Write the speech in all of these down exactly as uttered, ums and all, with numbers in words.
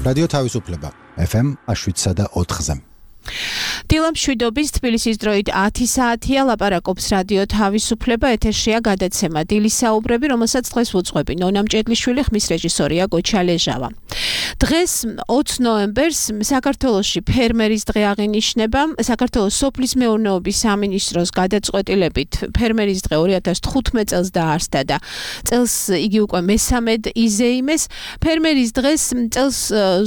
რადიო თავისუფლება ეფ ემ შვიდსა და ოთხზე. დილამშვიდობის თბილისის დროით ათი საათია, ლაპარაკობს რადიო თავისუფლება, ეთერშია გადაცემა დილის საუბრები, რომელსაც დღეს ვუძღვები ნონა მჭედლიშვილი, ხმის რეჟისორია გოჩა ლეჟავა. დღეს ოცი ნოემბერს საქართველოში ფერმერის დღე აღინიშნება. საქართველოს სოფლის მეურნეობის სამინისტროს გადაწყვეტილებით ფერმერის დღე ორი ათას თხუთმეტ წელს დაარსდა და წელს იგი უკვე მესამედ იზეიმეს. ფერმერის დღეს წელს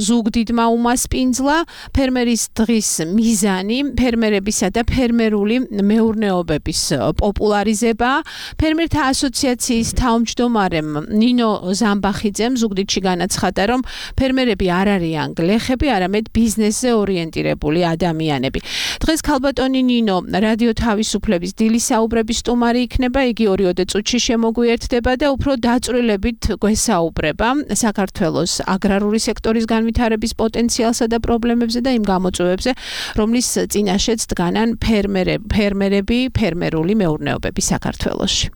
ზუგდიდმა უმასპინძლა. ფერმერის დღის მიზანი ფერმერებისა და ფერმერული მეურნეობების პოპულარიზება. ფერმერთა ასოციაციის თავმჯდომარემ ნინო ზამბახიძემ ზუგდიდში განაცხადა, რომ ფერმერები არ არიან გლეხები, არამედ ბიზნესზე ორიენტირებული ადამიანები. დღეს ქალბატონი ნინო რადიო თავისუფლების დილის საუბრების სტუმარი იქნება, იგი ორიოდე წუთში შემოგვიერთდება და უფრო დაწვრილებით გვესაუბრება საქართველოს აგრარული სექტორის განვითარების პოტენციალსა და პრობლემებზე და იმ გამოწვევებზე, რომლის წინაშეც დგანან ფერმერები, ფერმერები, ფერმერული მეურნეობები საქართველოში.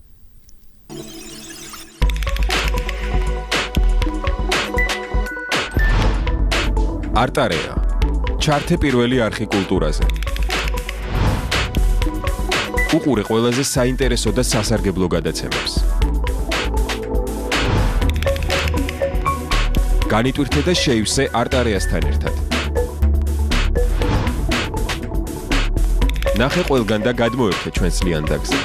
არტარეა. ჩართე პირველი არხი კულტურაზე. უყურე ყველაზე საინტერესო და სასარგებლო გადაცემებს. განიტვირთე და შეივსე არტარეასთან ერთად. ნახე ყველგან და გადმოერთე ჩვენს ლიანდაგზე.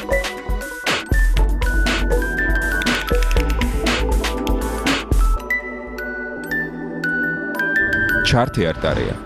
ჩართე არტარეა.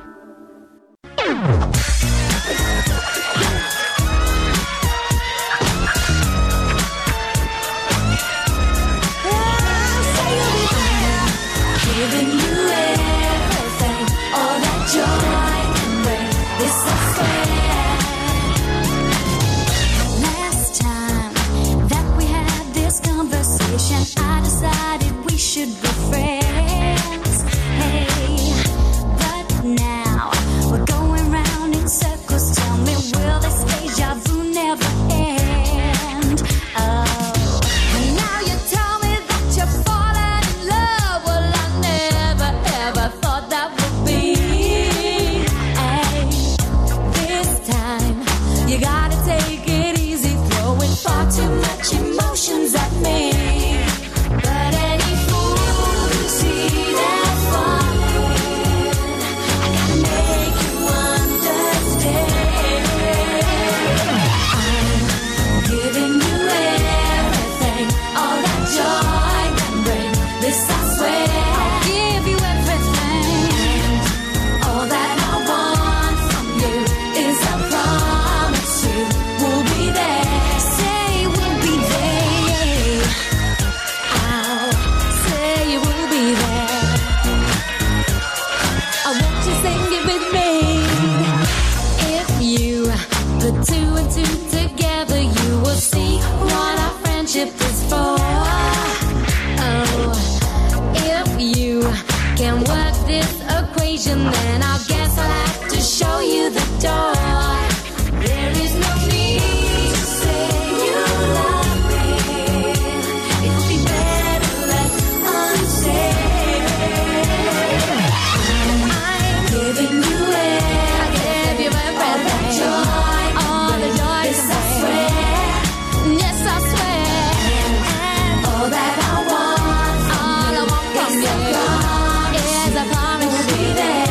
Is I promise to be there.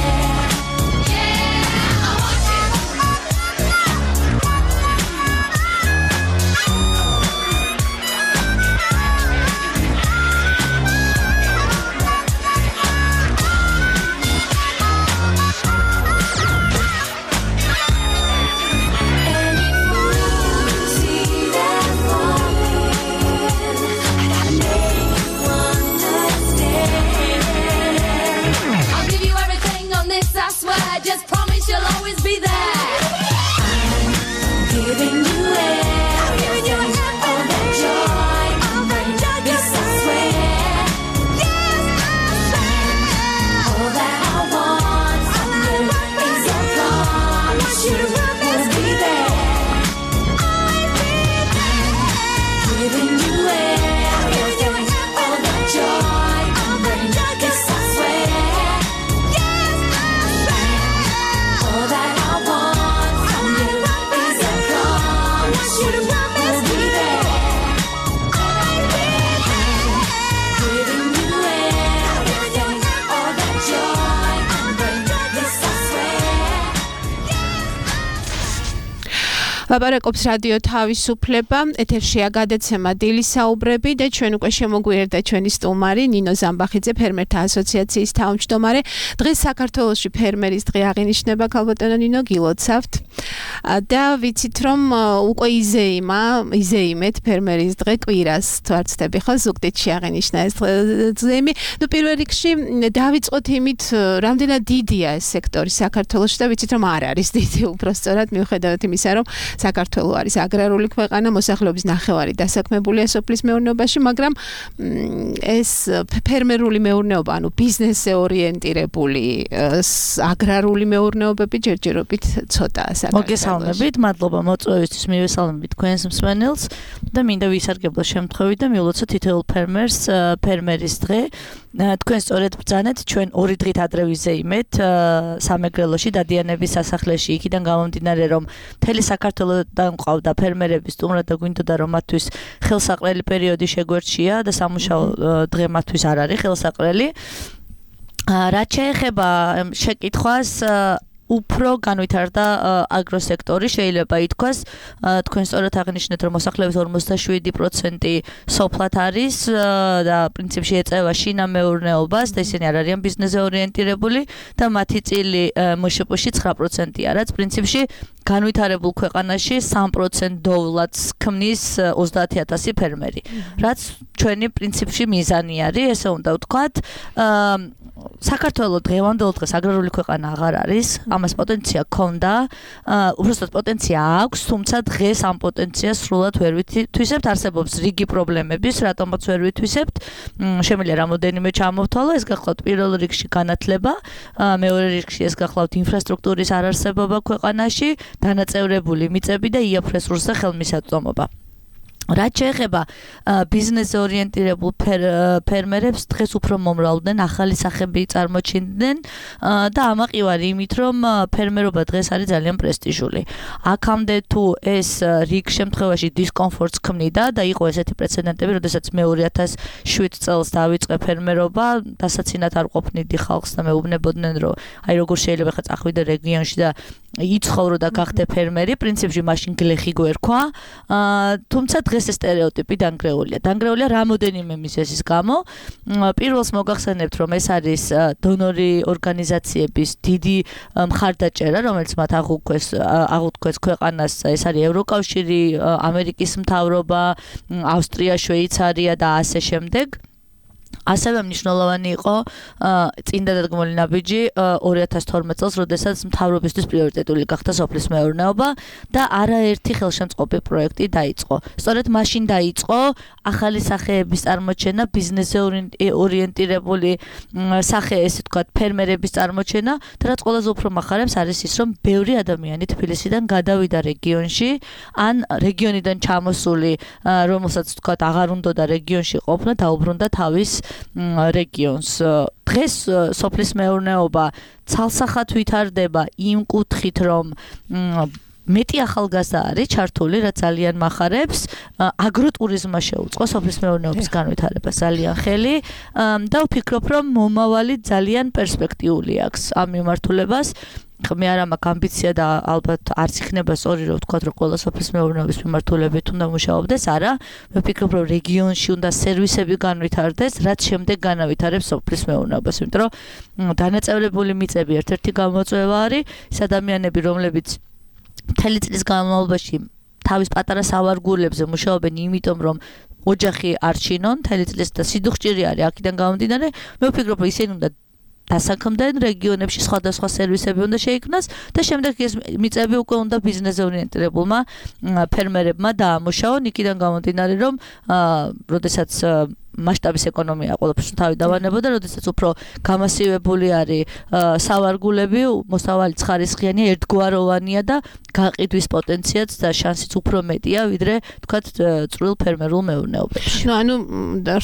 Yeah, I want you. ლაპარაკობს რადიო თავისუფლება, ეთერშია გადაცემა დილისაუბრები და ჩვენ უკვე შემოგვიერთდა ჩვენი სტუმარი ნინო ზამბახიძე, ფერმერთა ასოციაციის თავმჯდომარე. დღეს საქართველოში ფერმერის დღე აღინიშნება, ქალბატონო ნინო, გილოცავთ. და ვიცით რომ უკვე იზეიმა, იზეიმეთ ფერმერის დღე კვირას თუ არ ვცდები ხო, ზუგდიდში აღინიშნა ეს ზეიმი. ნუ პირველ რიგში დავიწყოთ იმით, რამდენად დიდია ეს სექტორი საქართველოში და ვიცით რომ არ არის დიდი, უბრალოდ მიუხედავად იმისა, რომ საქართველო არის აგრარული ქვეყანა, მოსახლეობის ნახევარი დასაქმებულია სოფლის მეურნეობაში, მაგრამ ეს ფერმერული მეურნეობა, ანუ ბიზნესზე ორიენტირებული აგრარული მეურნეობები ჯერჯერობით ცოტაა საქართველოში. მოგესალმებით, მადლობა მოწვევისთვის, მივესალმებით თქვენს მსმენელს და მინდა ვისარგებლო შემთხვევით და მივლოცოთ თითოეულ ფერმერს ფერმერის დღე. თქვენ სწორედ ბრძანეთ, ჩვენ ორი დღით ადრე ვიზეიმეთ სამეგრელოში დადიანების სასახლეში, იქიდან გამომდინარე, რომ მთელი საქართველოდან მყავდა ფერმერების სტუმრად და გვინდოდა რომ მათთვის ხელსაყრელი პერიოდი შეგვერჩია და სამუშაო დღე მათთვის არ არის ხელსაყრელი. რაც შეეხება შეკითხვას, უფრო განვითარდა აგროსექტორი, შეიძლება ითქვას, თქვენ სწორად აღნიშნეთ, რომ მოსახლეობის ორმოცდაშვიდი პროცენტი სოფლად არის და პრინციპში ეწევა შინამეურნეობას და ისინი არ არიან ბიზნესზე ორიენტირებული და მათი წილი მშპ-ში ცხრა პროცენტია, რაც პრინციპში განვითარებულ ქვეყანაში სამ პროცენტ დოვლად ქმნის ოცდაათი ათასი ფერმერი, რაც ჩვენი პრინციპში მიზანი არის, ესე უნდა ვთქვათ. საქართველოს დღევანდელ დღეს აგრარული ქვეყანა აღარ არის, ამას პოტენცია ჰქონდა, უბრალოდ პოტენცია აქვს, თუმცა დღეს ამ პოტენციას სრულად ვერ ვითვისებთ, არსებობს რიგი პრობლემების, რატომაც ვერ ვითვისებთ. შემიძლია რამოდენიმე ჩამოვთვალო, ეს გახლავთ პირველ რიგში განათლება, მეორე რიგში ეს გახლავთ ინფრასტრუქტურის არარსებობა ქვეყანაში, დანაწევრებული მიწები და იაფ რესურსზე ხელმისაწვდომობა. რაც შეეხება ბიზნესზე ორიენტირებულ ფერმერებს, დღეს უფრო მომრავლდნენ, ახალი სახები წარმოჩინდნენ და ამაყივარი იმით, რომ ფერმერობა დღეს არის ძალიან პრესტიჟული. აქამდე თუ ეს რიგ შემთხვევაში დისკომფორტს ქმნიდა და იყო ესეთი პრეცედენტები, როდესაც მე ორი ათას შვიდ წელს დავიწყე ფერმერობა, დასაცინად არ ყოფნიდი ხალხს და მეუბნებოდნენ, რომ აი როგორ შეიძლება ხა წახვიდე რეგიონში და იცხოვრო და გახდე ფერმერი, პრინციპში მაშინ გლეხი გვერქვა, თუმცა დღეს ეს სტერეოტიპი დანგრეულია. დანგრეულია რამოდენიმე მიზეზის გამო. პირველს მოგახსენებთ, რომ ეს არის დონორი ორგანიზაციების დიდი მხარდაჭერა, რომელიც მათ აღუქვეს აღუთქვეს ქვეყანას, ეს არის ევროკავშირი, ამერიკის მთავრობა, ავსტრია, შვეიცარია და ასე შემდეგ. ასევე მნიშვნელოვანი იყო წინდა დადგმული ნაბიჯი ორი ათას თორმეტ წელს, როდესაც მთავრობისთვის პრიორიტეტული გახდა სოფლის მეურნეობა და არაერთი ხელშემწყობი პროექტი დაიწყო. სწორედ მაშინ დაიწყო ახალი სახეების წარმოჩენა, ბიზნესზე ორიენტირებული სახე, ესე ვთქვათ, ფერმერების წარმოჩენა და რაც ყველაზე უფრო მახარებს არის ის, რომ ბევრი ადამიანი თბილისიდან გადავიდა რეგიონში, ან რეგიონიდან ჩამოსული, რომელსაც ვთქვათ, აღარ უნდოდა რეგიონში ყოფნა, დაუბრუნდა თავის რეგიონს. დღეს სოფლის მეურნეობა ცალსახად ვითარდება იმ კუთხით, რომ მეტი ახალგაზრდა არის ჩართული, რაც ძალიან მახარებს. აგროტურიზმმა შეუწყო სოფლის მეურნეობის განვითარებას ძალიან ხელი და ვფიქრობ, რომ მომავალი ძალიან პერსპექტიული აქვს ამ მიმართულებას. მე არ მაქვს ამბიცია და ალბათ არც იქნება სწორი რომ ვთქვათ, რომ ყველა სოფლის მეურნეობის მიმართულებით უნდა მუშაობდეს, არა. მე ვფიქრობ, რომ რეგიონში უნდა სერვისები განვითარდეს, რაც შემდეგ განავითარებს სოფლის მეურნეობას, იმიტომ რომ დანაწევრებული მიწები ერთ-ერთი გამოწვევა არის, ეს ადამიანები, რომლებიც მთელი წლის განმავლობაში თავის პატარა სავარგულებზე მუშაობენ, იმიტომ რომ ოჯახი არ ჩინონ, მთელი წლის და სიდუხჭირი არის აქედან გამომდინარე, მე ვფიქრობ, რომ ისინი უნდა დასაქმდნენ რეგიონებში სხვადასხვა სერვისები უნდა შეიქმნას და შემდეგ ეს მიწები უკვე უნდა ბიზნესზე ორიენტირებულმა ფერმერებმა დაამუშაონ, იქიდან გამომდინარე, რომ როდესაც მასშტაბის ეკონომია ყველაფერს თავი დავანებოდა, როდესაც უფრო გამასივებული არის სავარგულები, მოსავალი ცხარისხიანია, ერთგვაროვანია და გაყიდვის პოტენციალიც და შანსიც უფრო მეტია, ვიდრე თქვათ წვრილ ფერმერულ მეურნეობებში. ნუ ანუ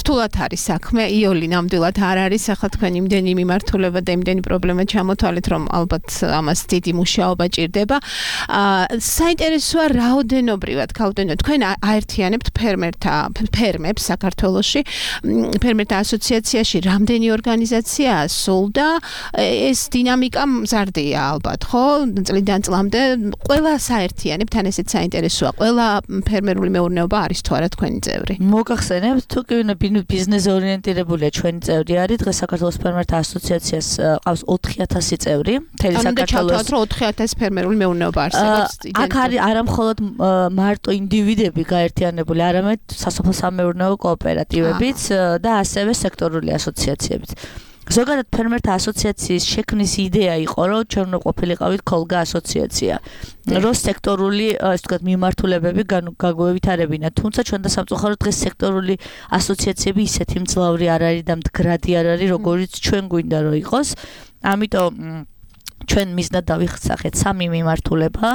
რთულად არის საქმე, იოლი ნამდვილად არ არის, ახლა თქვენ იმდენი მიმართულება და იმდენი პრობლემა ჩამოთვალეთ, რომ ალბათ ამას დიდი მუშაობა ჭირდება. საინტერესოა რაოდენობრივად, ქალბატონო, თქვენ აერთიანებთ ფერმერთა ფერმებს საქართველოში ფერმერთა ასოციაციაში რამდენი ორგანიზაციაა სულ და ეს დინამიკა მზარდია ალბათ, ხო? წლიდან წლამდე ყველა საერთიანებთან ესეც საინტერესოა. ყველა ფერმერული მეურნეობა არის თუ არა თქვენი წევრი? მოგახსენებთ, თუ კი ბიზნეს ორიენტირებულია ჩვენი წევრი არის, დღეს საქართველოს ფერმერთა ასოციაციას ყავს ოთხი ათასი წევრი, მთელი საქართველოს ოთხი ათასი ფერმერული მეურნეობა არსებობს. აქ არის არა მხოლოდ მარტო ინდივიდები გაერთიანებული, არამედ სასოფლო-სამეურნეო კოოპერატივებიც და ასევე სექტორული ასოციაციებიც. ზოგადად ფერმერთა ასოციაციის შექმნის იდეა იყო, რომ ჩვენ უნდა ყოფილიყავით ქოლგა ასოციაცია, რომ სექტორული, ასე ვთქვათ, მიმართულებები გაგვევითარებინა, თუმცა ჩვენ და სამწუხაროდ დღეს სექტორული ასოციაციები ისეთი მძლავრი არ არის და მდგრადი არ არის, როგორიც ჩვენ გვინდა რომ იყოს. ამიტომ ჩვენ მიზნად დავიხსახეთ სამი მიმართულება.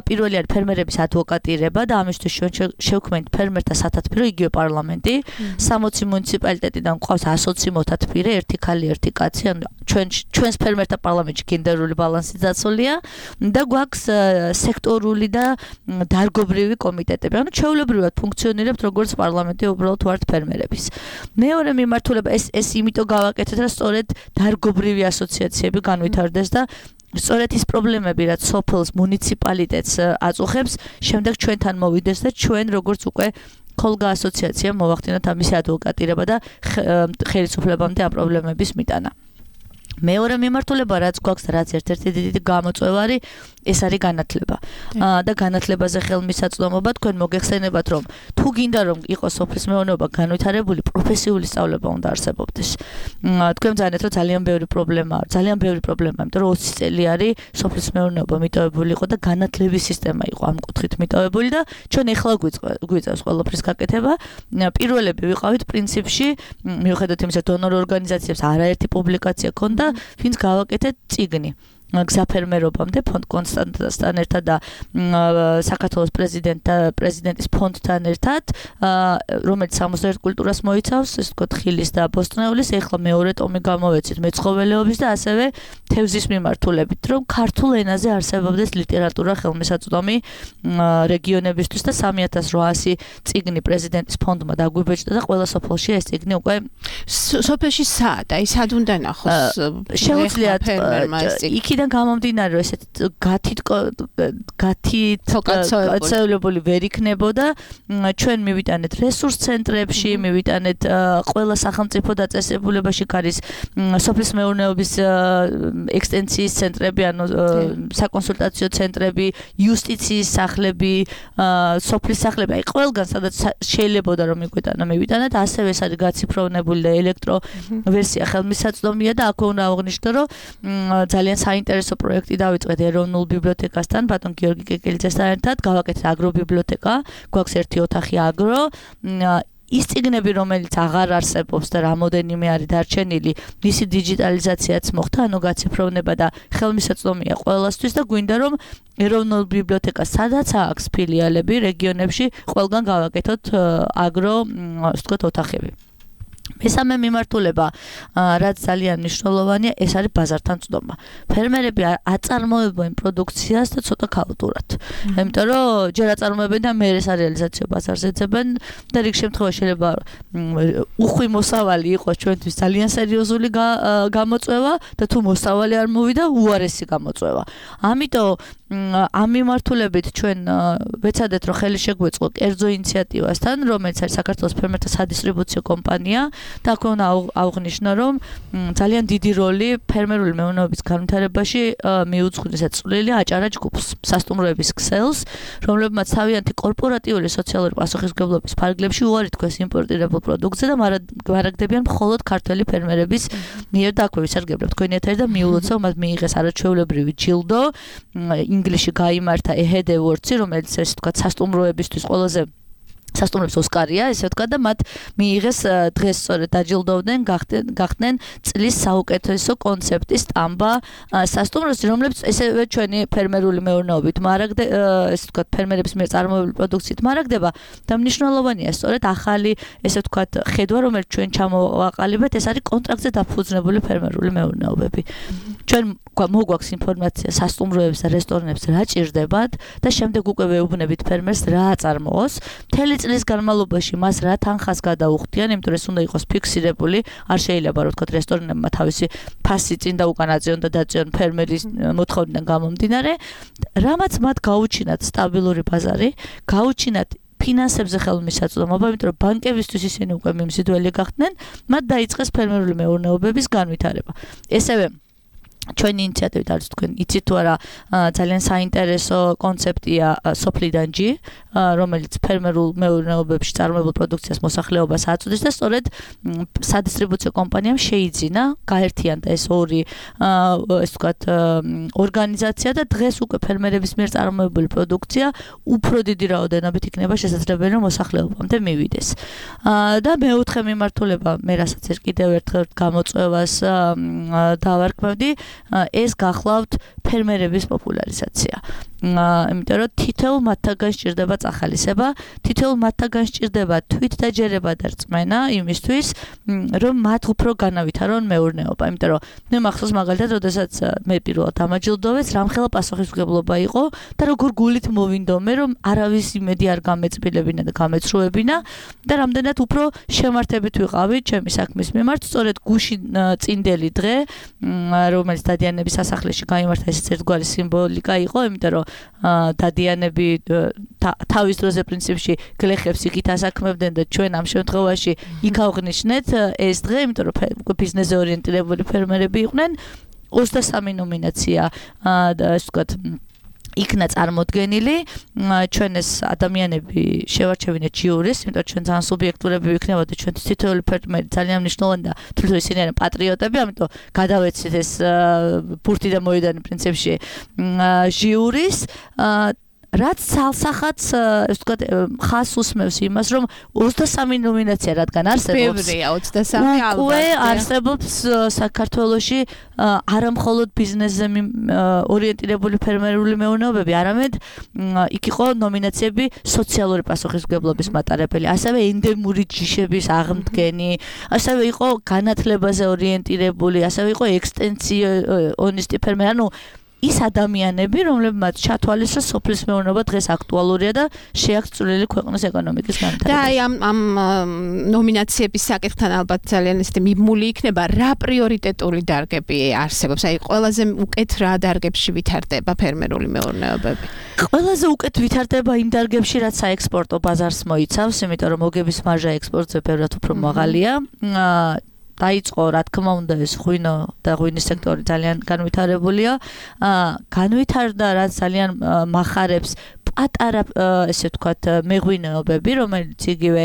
პირველი არის ფერმერების ადვოკატირება და ამისთვის ჩვენ შევქმნით ფერმერთა სათათბირო, იგივე პარლამენტი. სამოცი მუნიციპალიტეტიდან გვყავს ასოცი მოთათბირე, ერთი ქალი, ერთი კაცი. ანუ ჩვენ ჩვენს ფერმერთა პარლამენტში გენდერული ბალანსი დაცულია და გვაქვს სექტორული და დარგობრივი კომიტეტები. ანუ ჩვეულებრივად ფუნქციონირებთ როგორც პარლამენტი, უბრალოდ ვართ ფერმერების. მეორე მიმართულება ეს ეს იმიტომ გავაკეთეთ, რომ სწორედ დარგობრივი ასოციაციები განვითარდეს და სწორედ ის პრობლემები, რაც სოფელს, მუნიციპალიტეტს აწუხებს, შემდეგ ჩვენთან მოვიდეს და ჩვენ როგორც უკვე ქოლგა ასოციაცია მოვახდინოთ ამის ადვოკატირება და ხელისუფლებამდე ამ პრობლემების მიტანა. მეორე მიმართულება, რაც გვაქვს, რაც ერთ-ერთი დიდი გამოწვევა არის, ეს არის განათლება. და განათლებაზე ხელმისაწვდომობა, თქვენ მოგეხსენებათ, რომ თუ გინდა რომ იყოს სოფლის მეურნეობა განვითარებული, პროფესიული სწავლება უნდა არსებობდეს. თქვენ მზადეთ, რომ ძალიან ბევრი პრობლემაა, ძალიან ბევრი პრობლემაა, იმიტომ რომ ოცი წელი არის სოფლის მეურნეობა მიტოვებული იყო და განათლების სისტემა იყო ამ კუთხით მიტოვებული და ჩვენ ეხლა გვიწევს ყველაფრის გაკეთება. პირველები ვიყავით პრინციპში, მიუხედავად იმისა, დონორ ორგანიზაციებს არაერთი პუბლიკაცია ქონდა, ვინც გავაკეთეთ წიგნი. გზაფერმერობამდე ფონდ კონსტანტასთან ერთად და საქართველოს პრეზიდენტთა პრეზიდენტის ფონდთან ერთად, რომელიც სამოცდაერთ კულტურას მოიცავს, ეს თქო ხილის და ბოსტნეულის, ეხლა მეორე ტომი გამოვეცით მეცხოველეობის და ასევე თევზის მიმართულებით, რომ ქართულ ენაზე არსებობდეს ლიტერატურა ხელმისაწვდომი რეგიონებისთვის და სამი ათას რვაასი წიგნი პრეზიდენტის ფონდმა დაგვიბეჭდა და ყველა სოფელში ეს წიგნი უკვე სოფელში სად, აი სად უნდა ნახოს შეუძლიათ იქიდან გამომდინარე, რომ ესეთ გათით გათითკაცებული ვერ იქნებოდა, ჩვენ მივიტანეთ რესურს ცენტრებში, მივიტანეთ ყველა სახელმწიფო დაწესებულებაში არის სოფლის მეურნეობის ექსტენსიის ცენტრები, ანუ საკონსულტაციო ცენტრები, იუსტიციის სახლები, სოფლის სახლები, აი ყველგან სადაც შეიძლებოდა რომ მიგვეტანა მივიტანეთ, ასევე ეს არის გაციფროვნებული და ელექტრო ვერსია ხელმისაწვდომია და აქ უნდა აღვნიშნო, რომ ძალიან საინტერესო პროექტი დავიწყეთ ეროვნულ ბიბლიოთეკასთან, ბატონ გიორგი კეკელიძესთან ერთად, გავაკეთეთ აგრობიბლიოთეკა, გვაქვს ერთი ოთახი აგრო. ის წიგნები, რომელიც აღარ არსებობს და რამოდენიმე არის დარჩენილი, მისი დიჯიტალიზაციაც მოხდა, ანუ გაციფროვნება და ხელმისაწვდომია ყველასთვის და გვინდა რომ ეროვნულ ბიბლიოთეკას სადაც აქვს ფილიალები რეგიონებში, ყველგან გავაკეთოთ აგრო, ასე ვთქვათ, ოთახები. მესამე მიმართულება, რაც ძალიან მნიშვნელოვანია, ეს არის ბაზართან წვდომა. ფერმერები აწარმოებენ პროდუქციას და ცოტა ქაოტურად. იმიტომ რომ ჯერ აწარმოებენ და მერე სარეალიზაციო ბაზარზე ძებენ და რიგ შემთხვევაში შეიძლება უხვი მოსავალი იყოს ჩვენთვის ძალიან სერიოზული გამოწვევა და თუ მოსავალი არ მოვიდა, უარესი გამოწვევა. ამიტომ ამ მიმართულებით ჩვენ ვეცადეთ, რომ ხელი შეგვეწყო კერძო ინიციატივასთან, რომელიც არის საქართველოს ფერმერთა სადისტრიბუციო კომპანია და აქ უნდა აღვნიშნო, რომ ძალიან დიდი როლი ფერმერული მეურნეობის განვითარებაში მიუძღვის წვლილი აჭარა ჯგუფს, სასტუმროების ქსელს, რომლებმაც თავიანთი კორპორატიული სოციალური პასუხისმგებლობის ფარგლებში უარი თქვეს იმპორტირებულ პროდუქტზე და მარაგდებიან მხოლოდ ქართველი ფერმერების მიერ და აქვე ვისარგებლებ თქვენი ეთერი და მიულოცავ მათ მიიღეს არაჩვეულებრივი ჯილდო, ინგლისში გაიმართა ეჰედ ევორდსი, რომელიც ესე ვთქვათ სასტუმროებისთვის ყველაზე სასტუმროებს ოსკარია, ესე ვთქვათ და მათ მიიღეს დღეს სწორედ დაჯილდოვდნენ, გახდნენ წლის საუკეთესო კონცეპტის სტამბა სასტუმროში, რომლებიც ესევე ჩვენი ფერმერული მეურნეობით მარაგდება, ესე ვთქვათ ფერმერების მიერ წარმოებული პროდუქციით მარაგდება და მნიშვნელოვანია სწორედ ახალი, ესე ვთქვათ, ხედვა, რომელიც ჩვენ ჩამოვაყალიბეთ, ეს არის კონტრაქტზე დაფუძნებული ფერმერული მეურნეობები. ჩვენ მოგვაქვს ინფორმაცია სასტუმროებს და რესტორნებს რა ჭირდებათ და შემდეგ უკვე ვეუბნებით ფერმერს რა აწარმოოს. მთელი წლის განმავლობაში მას რა თანხას გადაუხდიან, იმიტომ რომ ეს უნდა იყოს ფიქსირებული, არ შეიძლება რომ ვთქვათ რესტორნებმა თავისი ფასი წინ და უკან აწიონ და დაწიონ ფერმერის მოთხოვნიდან გამომდინარე, რამაც მათ გაუჩინათ სტაბილური ბაზარი, გაუჩინათ ფინანსებზე ხელმისაწვდომობა, იმიტომ რომ ბანკებისთვის ისინი უკვე მიმზიდველი გახდნენ, მათ დაიწყეს ფერმერული მეურნეობების განვითარება. ესევე ჩვენი ინიციატივით არის თქვენ იცით თუ არა ძალიან საინტერესო კონცეფტია სოფლიდანჯი, რომელიც ფერმერულ მეურნეობებში წარმოებულ პროდუქციას მოსახლეობას აწვდის და სწორედ სადისტრიბუციო კომპანიამ შეიძინა გაერთიანდა ეს ორი ეს ვთქვათ ორგანიზაცია და დღეს უკვე ფერმერების მიერ წარმოებული პროდუქცია უფრო დიდი რაოდენობით იქნება შესაძლებელი რომ მოსახლეობამდე მივიდეს. და მეოთხე მიმართულება მე რასაც კიდევ ერთხელ გამოწვევას დავარქმევდი ეს გახლავთ ფერმერების პოპულარიზაცია. იმიტომ რომ თითოეულ მათთაგან სჭირდება წახალისება, თითოეულ მათთაგან სჭირდება თვითდაჯერება და რწმენა იმისთვის, რომ მათ უფრო განავითარონ მეურნეობა. იმიტომ რომ მე მახსოვს მაგალითად, როდესაც მე პირველად ამაჯილდოვეს, რამხელა პასუხისმგებლობა იყო და როგორ გულით მოვინდომე, რომ არავის იმედი არ გამეწბილებინა და გამეცრუებინა და რამდენად უფრო შემართებით ვიყავი ჩემი საქმის მიმართ, სწორედ გუში წინდელი დღე, რომელიც დადიანების სასახლეში გაიმართა, ეს ერთგვარი სიმბოლიკა იყო, იმიტომ რომ დადიანები თავის დროზე პრინციპში გლეხებს იქით ასაქმებდნენ და ჩვენ ამ შემთხვევაში იქ ავღნიშნეთ ეს დღე, იმიტომ რომ ბიზნესზე ორიენტირებული ფერმერები იყვნენ. ოცდასამი ნომინაცია ასე ვთქვათ იქნა წარმოდგენილი, ჩვენ ეს ადამიანები შევარჩევინეთ ჟიურის, იმიტომ რომ ჩვენ ძალიან სუბიექტურები ვიქნებოდა, ჩვენ თითოეული ფერმერი ძალიან მნიშვნელოვანი და თვითონ ისინი არიან პატრიოტები, ამიტომ გადავეცით ეს ბურთი და მოედანი პრინციპში ჟიურის რაც ცალსახაც ეს ვთქვათ ხას უსმევს იმას, რომ ოცდასამი ნომინაცია რადგან არსებობს. ბევრია ოცდასამი ალბათ. უკვე არსებობს საქართველოში არა მხოლოდ ბიზნესზე ორიენტირებული ფერმერული მეურნეობები, არამედ იქ იყო ნომინაციები სოციალური პასუხისმგებლობის მატარებელი, ასევე ენდემური ჯიშების აღმდგენი, ასევე იყო განათლებაზე ორიენტირებული, ასევე იყო ექსტენსიონისტი ფერმერი, ანუ ის ადამიანები, რომლებმაც ჩათვალისწინეს სოფლის მეურნეობა დღეს აქტუალურია და შეაქვს წვლილი ქვეყნის ეკონომიკის განვითარებაში. და აი ამ ამ ნომინაციების საკითხთან ალბათ ძალიან ისეთი მიმული იქნება, რა პრიორიტეტული დარგები არსებობს? აი ყველაზე უკეთ რა დარგებში ვითარდება ფერმერული მეურნეობები? ყველაზე უკეთ ვითარდება იმ დარგებში, რაც საექსპორტო ბაზარს მოიცავს, იმიტომ რომ მოგების მარჟა ექსპორტზე ბევრად უფრო მაღალია. დაიწყო, რა თქმა უნდა, ეს ღვინო და ღვინის სექტორი ძალიან განვითარებულია. განვითარდა, რაც ძალიან მახარებს პატარა, ესე ვთქვათ, მეღვინეობები, რომელიც იგივე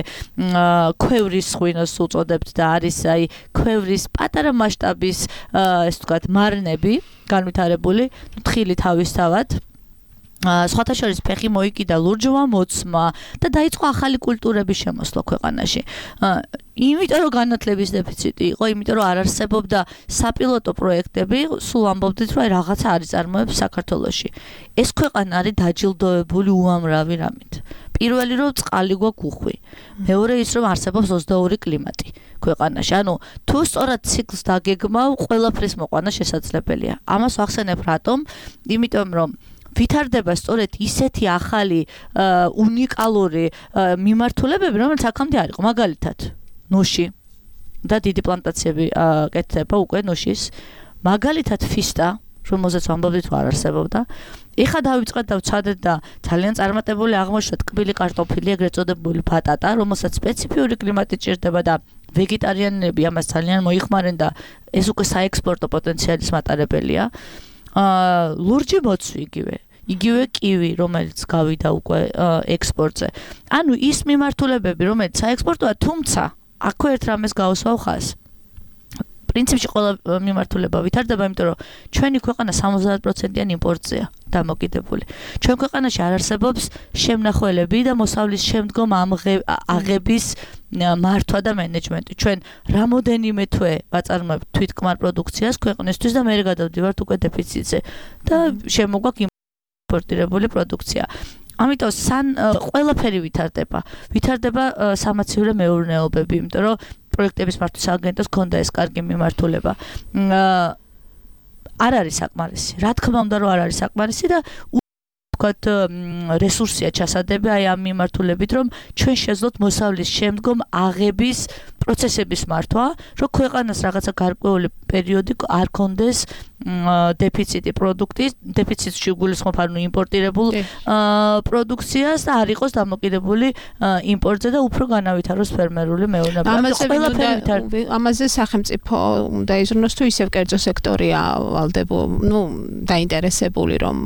ქვევრის ღვინოს უწოდებთ და არის აი ქვევრის პატარა მასშტაბის, ესე ვთქვათ, მარნები განვითარებული, თხილი თავისთავად. სხვათა შორის ფეხი მოიკიდა ლურჯმა მოცმა და დაიწყო ახალი კულტურების შემოსვლა ქვეყანაში. იმიტომ რომ განათლების დეფიციტი იყო, იმიტომ რომ არ არსებობდა sapilotო პროექტები, სულ ამბობდით, რომ რაღაცა არის წარმოებს საქართველოში. ეს ქვეყანა არის დაჯილდოებული უამრავი რამით. პირველი რომ წყალი გვაქვს უხვი. მეორე ის რომ არსებობს ოცდაორი კლიმატი ქვეყანაში. ანუ თუ სწორად ციკლს დაგეგმავ, ყველაფრის მოყვანა შესაძლებელია. ამას ვახსენებ რატომ? იმიტომ რომ ვითარდება სწორედ ისეთი ახალი უნიკალური მიმართულებები, რომელიც აქამდე არ იყო. მაგალითად, ნუში და დიდი პლანტაციები კეთდება უკვე ნუშის. მაგალითად, ფისტა, რომელზეც ვამბობდით, არ არსებობდა. ეხლა დავიწყეთ და ვცადეთ და ძალიან წარმატებული აღმოჩნდა ტკბილი კარტოფილი, ეგრეთ წოდებული ბატატა, რომელსაც სპეციფიური კლიმატი ჭირდება და ვეგეტარიანები ამას ძალიან მოიხმარენ და ეს უკვე საექსპორტო პოტენციალის მატარებელია. ლურჯი მოცვი იგივე. იგივე კივი, რომელიც გავიდა უკვე ექსპორტზე. ანუ ის მიმართულებები, რომელიც საექსპორტოა, თუმცა აქვე ერთ რამეს გავუსვავ ხაზს. პრინციპში ყველა მიმართულება ვითარდება, იმიტომ რომ ჩვენი ქვეყანა სამოცდაათ პროცენტიან იმპორტზეა დამოკიდებული. ჩვენ ქვეყანაში არ არსებობს შემნახველები და მოსავლის შემდგომ აღების მართვა და მენეჯმენტი. ჩვენ რამოდენიმე თვე ვაწარმოებთ თვითკმარ პროდუქციას ქვეყნისთვის და მე გადავდივართ უკვე დეფიციტზე და შემოგვაქვს იმპორტირებული პროდუქცია. ამიტომ სან ყველაფერი ვითარდება. ვითარდება სამაცივრო მეურნეობები, იმიტომ რომ პროექტების მართვის აგენტოს ქონდა ეს კარგი მიმართულება. არ არის საკმარისი. რა თქმა უნდა რომ არ არის საკმარისი და ვთქვათ რესურსია ჩასადები აი ამ მიმართულებით რომ ჩვენ შეძლოთ მოსავლის შემდგომ აღების პროცესების მართვა, რომ ქვეყანას რაღაცა გარკვეული პერიოდი არ კონდეს დეფიციტი პროდუქტის, დეფიციტში გულისხმობ ანუ იმპორტირებულ პროდუქციას და არ იყოს დამოკიდებული იმპორტზე და უფრო განავითაროს ფერმერული მეურნეობა. ამაზე სახელმწიფო უნდა იზრუნოს თუ ისევ კერძო სექტორია ვალდებო, ნუ დაინტერესებული რომ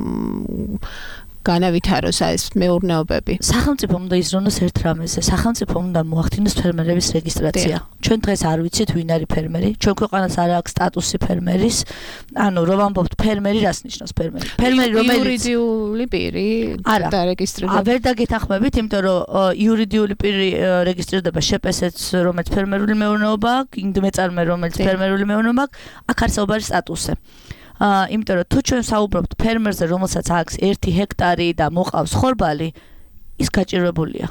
განავითაროს ეს მეურნეობები. სახელმწიფო უნდა იზრუნოს ერთ რამეზე. სახელმწიფო უნდა მოახდინოს ფერმერების რეგისტრაცია. ჩვენ დღეს არ ვიცით ვინ არის ფერმერი. ჩვენ ქვეყანას არ აქვს სტატუსი ფერმერის. ანუ რომ ამბობთ ფერმერი რას ნიშნავს ფერმერი? ფერმერი რომელიც იურიდიული პირი დარეგისტრირდება. არა, ვერ დაგეთანხმებით, იმიტომ რომ იურიდიული პირი რეგისტრირდება შეპესეც, რომელიც ფერმერული მეურნეობა აქვს, იმ მეწარმე, რომელიც ფერმერული მეურნეობა აქვს, აქ არსებობა არის სტატუსზე. აა იმიტომ რომ თუ ჩვენ საუბრობთ ფერმერზე, რომელსაც აქვს ერთი ჰექტარი და მოყავს ხორბალი, ის გაჭირვებულია.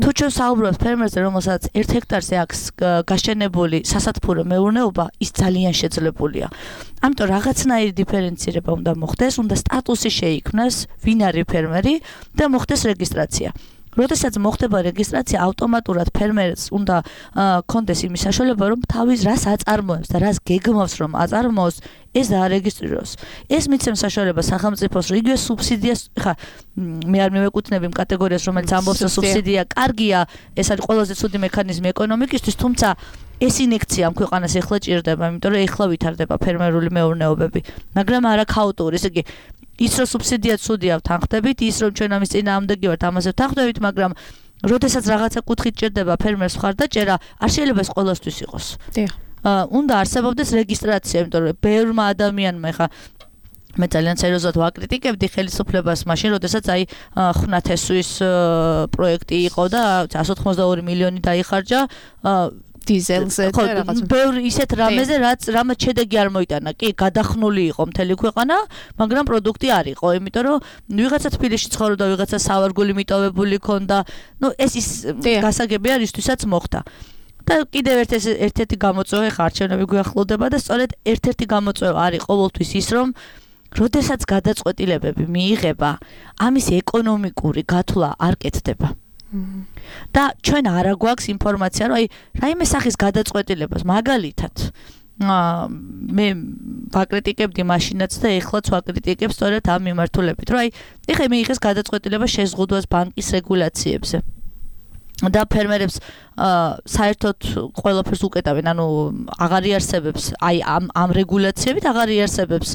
თუ ჩვენ საუბრობთ ფერმერზე, რომელსაც ერთ ჰექტარზე აქვს გაშენებული სასათბურო მეურნეობა, ის ძალიან შეძლებულია. ამიტომ რაღაცნაირი დიფერენცირება უნდა მოხდეს, უნდა სტატუსი შეიქმნას, ვინ არის ფერმერი და მოხდეს რეგისტრაცია. როდესაც მოხდება რეგისტრაცია, ავტომატურად ფერმერს უნდა კონდეს იმის საშუალება, რომ თავის რას აწარმოებს და რას გეგმავს, რომ აწარმოოს, ეს დაარეგისტრიროს. ეს მიცემს საშუალებას სახელმწიფოს, რომ იგივე სუბსიდიას, ხა მე არ მივეკუთვნები იმ კატეგორიას, რომელიც ამბობს, რომ სუბსიდია კარგია, ეს არის ყველაზე ცუდი მექანიზმი ეკონომიკისთვის, თუმცა ეს ინექცია ამ ქვეყანას ეხლა ჭირდება, იმიტომ რომ ეხლა ვითარდება ფერმერული მეურნეობები, მაგრამ არა ქაოტური, ესე იგი ის რომ სუბსიდია ცუდია ვთანხმდებით, ის რომ ჩვენ ამის წინააღმდეგი ვართ, ამაზე ვთანხმდებით, მაგრამ როდესაც რაღაცა კუთხით ჭირდება ფერმერს მხარდაჭერა, არ შეიძლება ეს ყველასთვის იყოს. დიახ. უნდა არსებობდეს რეგისტრაცია, იმიტომ რომ ბევრმა ადამიანმა ხა მე ძალიან სერიოზულად ვაკრიტიკებდი ხელისუფლებას მაშინ, როდესაც აი ხვნათესვის პროექტი იყო და εκατს ოცდაოთხი მილიონი დაიხარჯა დიზელზე და რაღაც ბევრი ისეთ რამეზე, რაც რამაც შედეგი არ მოიტანა. კი, გადახნული იყო მთელი ქვეყანა, მაგრამ პროდუქტი არ იყო, იმიტომ რომ ვიღაცა თბილისში ცხოვრობდა, ვიღაცა სავარგული მიტოვებული ქონდა. ნუ ეს ის გასაგებია, რისთვისაც მოხდა. და კიდევ ერთ-ერთი გამოწვევა ხა არჩევნები გვიახლოვდება და სწორედ ერთ-ერთი გამოწვევა არის ყოველთვის ის, რომ როდესაც გადაწყვეტილებები მიიღება, ამის ეკონომიკური გათვლა არ კეთდება. და ჩვენ არა გვაქვს ინფორმაცია, რომ აი რაიმე სახის გადაწყვეტილებას მაგალითად მე ვაკრიტიკებდი მაშინაც და ეხლაც ვაკრიტიკებ სწორედ ამ მიმართულებით, რომ აი ეხლა მიიღეს გადაწყვეტილება შეზღუდვას ბანკის რეგულაციებზე. და ფერმერებს საერთოდ ყველაფერს უკეტავენ, ანუ აღარ იარსებებს აი ამ ამ რეგულაციებით აღარ იარსებებს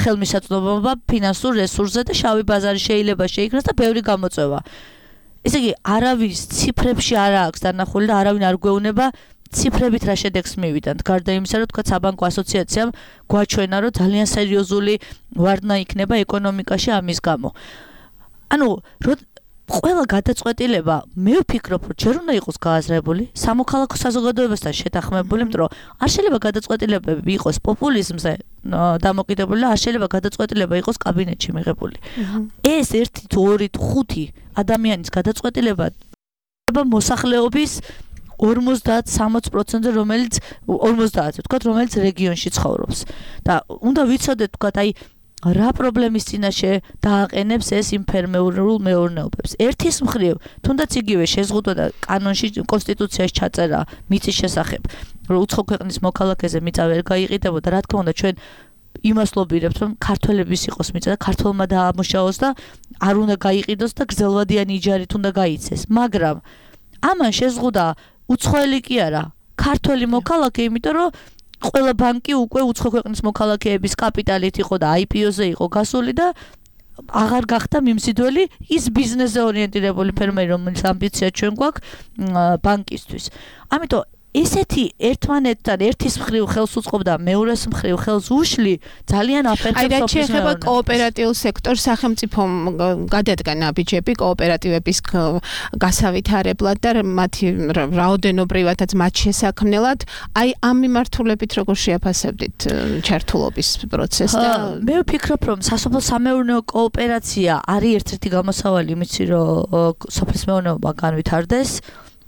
ხელმისაწვდომობა ფინანსურ რესურსზე და შავი ბაზარი შეიძლება შეიქმნას და ბევრი გამოწვევა. ესე იგი, არავის ციფრებში არ აქვს დანახული და არავინ არ გვეუბნება ციფრებით რა შედეგს მივიდანთ. გარდა იმისა, რომ თქვა საბანკო ასოციაციამ გვაჩვენა, რომ ძალიან სერიოზული ვარდნა იქნება ეკონომიკაში ამის გამო. ანუ ყველა გადაწყვეტილება მე ვფიქრობ, რომ ჯერ უნდა იყოს გააზრებული, სამოქალაქო საზოგადოებასთან შეთანხმებული, იმიტომ რომ არ შეიძლება გადაწყვეტილებები იყოს პოპულიზმზე დამოკიდებული და არ შეიძლება გადაწყვეტილება იყოს კაბინეტში მიღებული. ეს ერთი თუ ორი თუ ხუთი ადამიანის გადაწყვეტილება მოსახლეობის ორმოცდაათ სამოცი პროცენტზე, რომელიც ორმოცდაათზე ვთქვათ, რომელიც რეგიონში ცხოვრობს. და უნდა ვიცოდეთ, ვთქვათ, აი რა პრობლემის წინაშე დააყენებს ეს იმ ფერმერულ მეურნეობებს. ერთის მხრივ, თუნდაც იგივე შეზღუდვა და კანონში კონსტიტუციაში ჩაწერა მიწის შესახებ, რომ უცხო ქვეყნის მოქალაქეზე მიწა ვერ გაიყიდებოდა, რა თქმა უნდა, ჩვენ იმას ლობირებთ, რომ ქართველების იყოს მიწა და ქართველმა დაამუშავოს და არ უნდა გაიყიდოს და გრძელვადიანი იჯარით უნდა გაიცეს. მაგრამ ამან შეზღუდა უცხოელი კი არა, ქართველი მოქალაქე, იმიტომ რომ ყველა ბანკი უკვე უცხო ქვეყნის მოქალაქეების კაპიტალით იყო და აი პი ო-ზე იყო გასული და აღარ გახდა მიმზიდველი ის ბიზნესზე ორიენტირებული ფერმერი, რომელიც ამბიცია ჩვენ გვაქვს ბანკისთვის. ამიტომ ესეთი ერთმანეთთან ერთის მხრივ ხელს უწყობდა, მეორეს მხრივ ხელს უშლი, ძალიან აფერხებს სოფლის მეურნეობას. აი, რაც შეეხება კოოპერატიულ სექტორს, სახელმწიფომ გადადგა ნაბიჯები კოოპერატივების გასავითარებლად და მათი რაოდენობრივადაც მათ შესაქმნელად. აი, ამ მიმართულებით როგორ შეაფასებდით ჩართულობის პროცესს და მე ვფიქრობ, რომ სასოფლო-სამეურნეო კოოპერაცია არის ერთ-ერთი გამოსავალი იმისი, რომ სოფლის მეურნეობა განვითარდეს,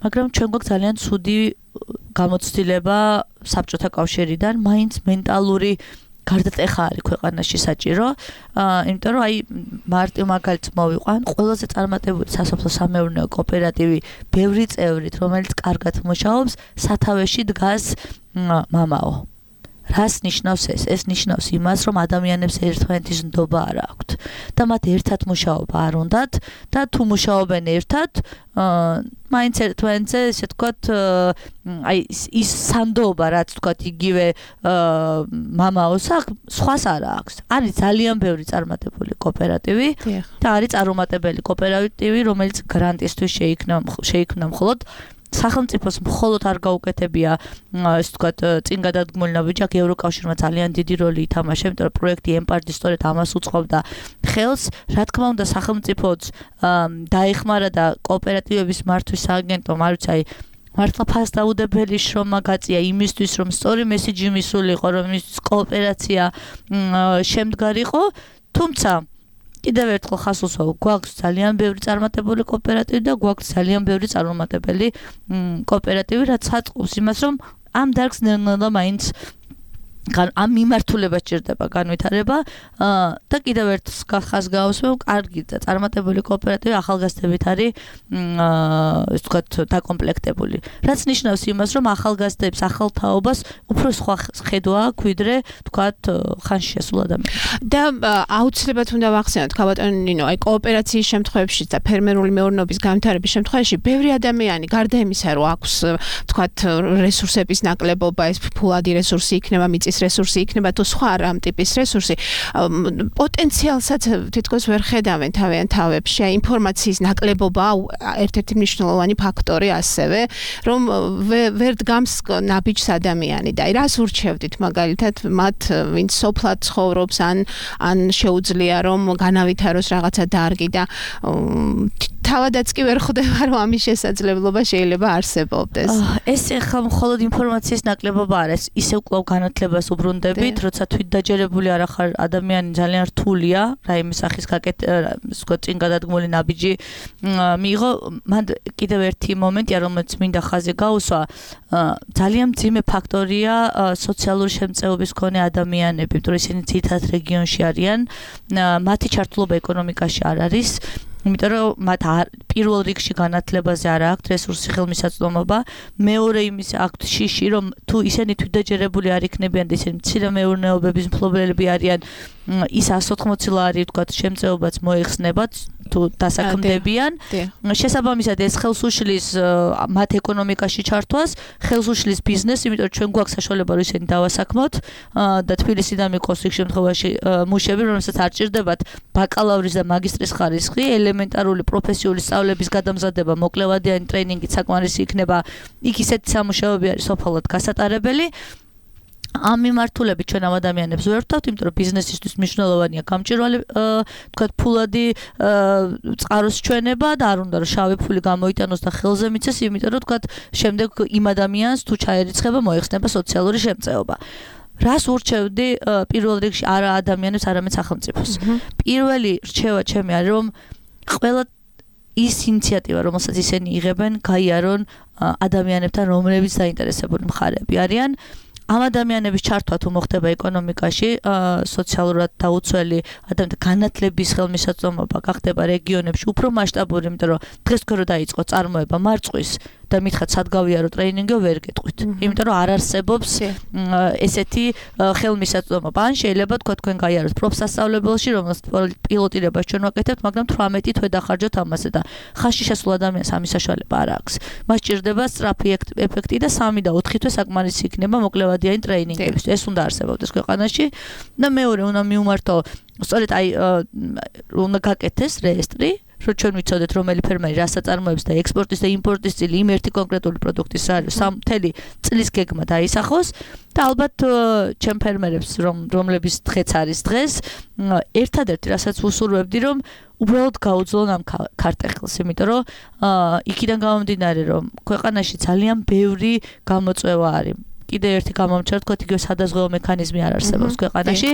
მაგრამ ჩვენ გვაქვს ძალიან ცუდი გამოცდილება საბჭოთა კავშირიდან, მაინც მენტალური გარდატეხა არის ქვეყანაში საჭირო, იმიტომ რომ აი მარტივ მაგალითს მოვიყვან, ყველაზე წარმატებული სასოფლო-სამეურნეო კოოპერატივი ბევრი წევრით, რომელიც კარგად მუშაობს, სათავეში დგას მამაო. რას ნიშნავს ეს? ეს ნიშნავს იმას, რომ ადამიანებს ერთმანეთის ნდობა არ აქვთ და მათ ერთად მუშაობა არ უნდათ და თუ მუშაობენ ერთად, მაინც ერთმანეთზე, ესე ვთქვათ, აი ის სანდოობა, რაც ვთქვათ, იგივე მამაოს აქვს, სხვას არ აქვს. არის ძალიან ბევრი წარმატებული კოოპერატივი და არის წარუმატებელი კოოპერატივი, რომელიც გრანტისთვის შეიქმნა შეიქმნა მხოლოდ სახელმწიფოს მხოლოდ არ გაუკეთებია, ესე ვთქვათ, წინ გადადგმული ნაბიჯი, ევროკავშირმა ძალიან დიდი როლი ითამაშა, იმიტომ რომ პროექტი ემპარტი სწორედ ამას უწყობდა ხელს. რა თქმა უნდა, სახელმწიფოც დაეხმარა და კოოპერატივების მართვის სააგენტომ, არ ვიცი, აი მართლა ფასდაუდებელი შრომა გაწია იმისთვის, რომ სწორი მესიჯი მისულიყო, რომ ის კოოპერაცია შემდგარიყო, თუმცა კიდევ ერთხელ ხას უსვავ, გვაქვს ძალიან ბევრი წარმატებული კოოპერატივი და გვაქვს ძალიან ბევრი წარუმატებელი კოოპერატივი, რაც აწყობს იმას, რომ ამ დარგს ნელ-ნელა მაინც ამ მიმართულებას ჭირდება განვითარება და კიდევ ერთ ხას გავუსვევ, კარგი და წარმატებული კოოპერატივი ახალგაზრდებით არის ესე ვთქვათ დაკომპლექტებული. რაც ნიშნავს იმას, რომ ახალგაზრდებს ახალ თაობას უფრო სხვა ხედვა აქვს, ვიდრე ვთქვათ ხანში შესულ ადამიანებს. და აუცილებლად უნდა ვახსენოთ, ქალბატონო ნინო, აი კოოპერაციის შემთხვევაში და ფერმერული მეურნეობის განვითარების შემთხვევაში ბევრი ადამიანი გარდა იმისა, რომ აქვს ვთქვათ რესურსების ნაკლებობა, ეს ფულადი რესურსი იქნება, მიწის რესურსი იქნება თუ სხვა რამ ტიპის რესურსი, პოტენციალსაც თითქოს ვერ ხედავენ თავიანთ თავებში, აი ინფორმაციის ნაკლებობა ერთ-ერთი მნიშვნელოვანი ფაქტორი ასევე, რომ ვერ დგამს ნაბიჯს ადამიანი და აი რას ურჩევდით მაგალითად მათ, ვინც სოფლად ცხოვრობს ან ან შეუძლია რომ განავითაროს რაღაცა დარგი და თავადაც კი ვერ ხვდება რომ ამის შესაძლებლობა შეიძლება არსებობდეს. ეს ახლა მხოლოდ ინფორმაციის ნაკლებობა არის, ისევ კვლავ განათლებას უბრუნდებით, როცა თვითდაჯერებული არ ახარ ადამიანი ძალიან რთულია, რაიმე სახის გაკეთება, ვთქვათ, წინ გადადგმული ნაბიჯი მიიღო, მან კიდევ ერთი მომენტია, რომელიც მინდა ხაზი გაუსვა, ძალიან მძიმე ფაქტორია სოციალური შემწეობის მქონე ადამიანები, იმიტომ რომ ისინი ძირითადად რეგიონში არიან, მათი ჩართულობა ეკონომიკაში არ არის. იმიტომ რომ მათ პირველ რიგში განათლებაზე არ აქვთ რესურსი, ხელმისაწვდომობა, მეორე იმის აქვთ შიში, რომ თუ ისინი თვითდაჯერებული არ იქნებიან და ისინი მცირე მეურნეობების მფლობელები არიან, ის εκατს ოთხმოცი ლარი ვთქვათ შემწეობაც მოიხსნებათ თუ დასაქმდებიან. შესაბამისად ეს ხელს უშლის მათ ეკონომიკაში ჩართვას, ხელს უშლის ბიზნესს, იმიტომ რომ ჩვენ გვაქვს საშუალება რომ ისინი დავასაქმოთ და თბილისიდან მიყოს იქ შემთხვევაში მუშები, რომელსაც არ ჭირდებათ ბაკალავრის და მაგისტრის ხარისხი, ელემენტარული პროფესიული სწავლების გადამზადება, მოკლევადიანი ტრეინინგი საკმარისი იქნება. იქ ისეთი სამუშაოები არის სოფლად გასატარებელი. ამ მიმართულებით ჩვენ ამ ადამიანებს ვერ ვთავთ, იმიტომ რომ ბიზნესისთვის მნიშვნელოვანია გამჭვირვალე, ვთქვათ, ფულადი წყაროს ჩვენება და არ უნდა რომ შავი ფული გამოიტანოს და ხელზე მიცეს, იმიტომ რომ ვთქვათ, შემდეგ იმ ადამიანს თუ ჩაერიცხება, მოიხსნება სოციალური შემწეობა. რას ურჩევდი პირველ რიგში არა ადამიანებს, არამედ სახელმწიფოს. პირველი რჩევა ჩემი არის, რომ ყველა ის ინიციატივა, რომელსაც ისინი იღებენ, გაიარონ ადამიანებთან, რომლებიც დაინტერესებული მხარეები არიან. ამ ადამიანების ჩართვა თუ მოხდება ეკონომიკაში, სოციალურად დაუცველი ადამიანთა განათლების ხელმისაწვდომობა გახდება რეგიონებში უფრო მასშტაბური, იმიტომ რომ დღეს თქვენ რო დაიწყო წარმოება მარწყვის და მითხათ სად გავიარო ტრეინინგი, ვერ გეტყვით. იმიტომ რომ არ არსებობს ესეთი ხელმისაწვდომობა. ან შეიძლება თქვა თქვენ გაიაროთ პროფსასწავლებელში, რომელსაც პილოტირებას ჩვენ ვაკეთებთ, მაგრამ თვრამეტი თვე დახარჯოთ ამაზე და ხაზში შესულ ადამიანს ამის საშუალება არ აქვს. მას ჭირდება სწრაფი ეფექტი და სამი და ოთხი თვე საკმარისი იქნება მოკლევადიანი ტრეინინგების. ეს უნდა არსებობდეს ქვეყანაში და მეორე უნდა მიუმართო, სწორედ აი უნდა გაკეთდეს რეესტრი, რომ ჩვენ ვიცოდეთ რომელი ფერმერი რა საწარმოებს და ექსპორტის და იმპორტის წილი იმ ერთი კონკრეტული პროდუქტის მთელი წლის გეგმა დაისახოს და ალბათ ჩვენ ფერმერებს რომლების დღეც არის დღეს, ერთადერთი რასაც ვუსურვებდი, რომ უბრალოდ გაუძლონ ამ ქარტეხილს, იმიტომ რომ იქიდან გამომდინარე, რომ ქვეყანაში ძალიან ბევრი გამოწვევა არის. კიდე ერთი გამომჩნევ, თქვათ, იგივე სადაზღვევო მექანიზმი არ არსებობს ქვეყანაში.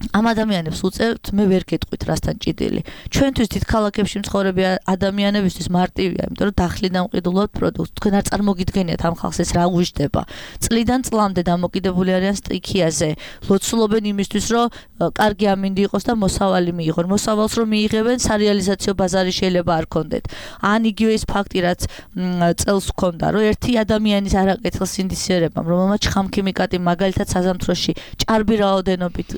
ამ ადამიანებს უწევთ, მე ვერ გეტყვით რასთან ჭიდილი. ჩვენთვის დიდ ქალაქებში მცხოვრები ადამიანებისთვის მარტივია, იმიტომ რომ დახლიდან მყიდულობთ პროდუქტს. თქვენ არ წარმოგიდგენიათ ამ ხალხს ეს რა უждდება. წლიდან წლამდე დამოკიდებული არიან სტიქიაზე. ლოცულობენ იმისთვის, რომ კარგი ამინდი იყოს და მოსავალი მიიღონ. მოსავალს რომ მიიღებენ, სარეალიზაციო ბაზარი შეიძლება არ ქონდეთ. ან იგივე ის ფაქტი, რაც წელს ჰქონდა, რომ ერთი ადამიანის არაკეთილ სინდისიერებამ, რომელმაც შხამქიმიკატი მაგალითად საზამთროში ჭარბი რაოდენობით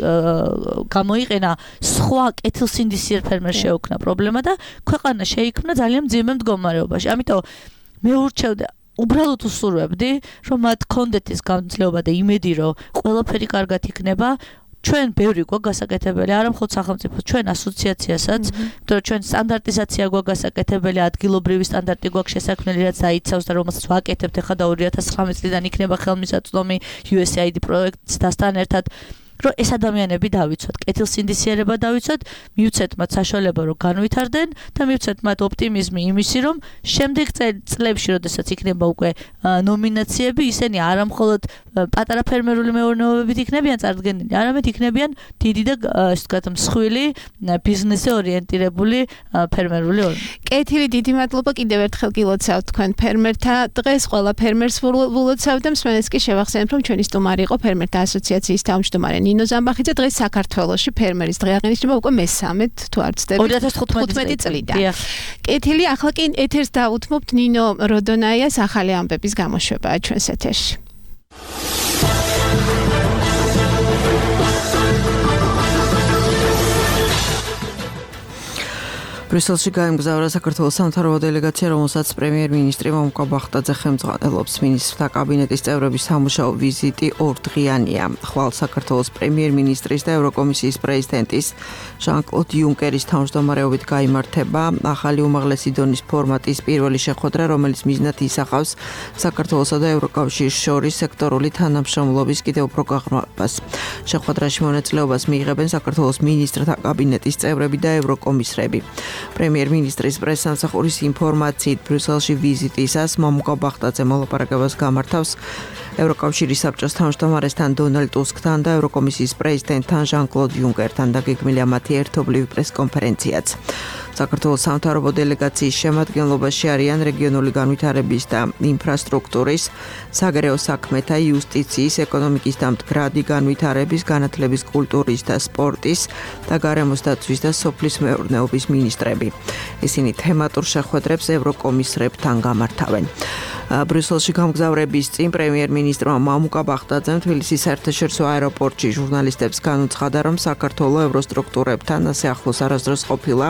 გამოიყენა, სხვა კეთილსინდისიერ ფერმერს შეუქმნა პრობლემა და ქვეყანა შეიქმნა ძალიან მძიმე მდგომარეობაში. ამიტომ მე ურჩევდი, უბრალოდ უსურვებდი, რომ მათ ქონდეთ ეს გამძლეობა და იმედი, რომ ყველაფერი კარგად იქნება. ჩვენ ბევრი გვაქვს გასაკეთებელი, არა მხოლოდ სახელმწიფოს, ჩვენ ასოციაციასაც, იმიტომ რომ ჩვენ სტანდარტიზაცია გვაქვს გასაკეთებელი, ადგილობრივი სტანდარტი გვაქვს შესაქმნელი, რაც აიცავს და რომელსაც ვაკეთებთ ახლა და ორი ათას ცხრამეტ წლიდან იქნება ხელმისაწვდომი U S A I D პროექტთან ერთად. რომ ეს ადამიანები დავიცვათ, კეთილსინდისიერება დავიცვათ, მივცეთ მათ საშუალება რომ განვითარდნენ და მივცეთ მათ ოპტიმიზმი იმისი, რომ შემდეგ წლებში, როდესაც იქნება უკვე ნომინაციები, ისინი არა მხოლოდ პატარა ფერმერული მეურნეობებით იქნებიან წარდგენილი, არამედ იქნებიან დიდი და ასე ვთქვათ, მსხვილი ბიზნესზე ორიენტირებული ფერმერული ორგანიზაცია. კეთილი, დიდი მადლობა კიდევ ერთხელ გილოცავთ თქვენ ფერმერთა დღეს, ყველა ფერმერს ვილოცავ და მსმენელს კი შევახსენებ, რომ ჩვენი სტუმარი იყო ფერმერთა ასოციაციის თავმჯდომარე ნინო ზამბახიძე. დღეს საქართველოში ფერმერის დღე აღინიშნება უკვე მესამედ თუ არ ვცდები ორი ათას თხუთმეტი წლიდან. კეთილი, ახლა კი ეთერს დაუთმობთ ნინო როდონაიას ახალი ამბების გამოშვებაა ჩვენს ეთერში. ბრიუსელში გაემგზავრა საქართველოს სამთავრობო დელეგაცია, რომელსაც პრემიერ-მინისტრი მომკა ბახტაძე ხელმძღვანელობს. მინისტრთა კაბინეტის წევრების სამუშაო ვიზიტი ორდღიანია. ხვალ საქართველოს პრემიერ-მინისტრის და ევროკომისიის პრეზიდენტის ჟან-კლოდ იუნკერის თავმჯდომარეობით გაიმართება ახალი უმაღლესი დონის ფორმატის პირველი შეხვედრა, რომელიც მიზნად ისახავს საქართველოსა და ევროკავშირის შორის სექტორული თანამშრომლობის კიდევ უფრო გაღრმავებას. შეხვედრაში მონაწილეობას მიიღებენ საქართველოს მინისტრთა კაბინეტის წევრები და ევროკომისრები. პრემიერ-მინისტრის პრესსამსახურის ინფორმაციით ბრიუსელში ვიზიტისას მომკა ბახტაძე მოლაპარაკებას გამართავს ევროკავშირის საბჭოს თავმჯდომარესთან დონალდ ტუსკთან და ევროკომისიის პრეზიდენტთან ჟან-კლოდ იუნკერთან და გეგმილია მათი ერთობლივი პრესკონფერენციაც. საქართველოს სამთავრობო დელეგაციის შემადგენლობაში არიან რეგიონული განვითარების და ინფრასტრუქტურის, საგარეო საქმეთა, იუსტიციის, ეკონომიკის და მდგრადი განვითარების, განათლების, კულტურის და სპორტის და გარემოს დაცვის და სოფლის მეურნეობის მინისტრები. ისინი თემატურ შეხვედრებს ევროკომისრებთან გამართავენ. ბრიუსელში გამგზავრების წინ პრემიერ-მინისტრმა მამუკა ბახტაძემ თბილისის საერთაშორისო აეროპორტში ჟურნალისტებს განუცხადა, რომ საქართველოს ევროსტრუქტურებთან ასე ახლოს არასდროს ყოფილა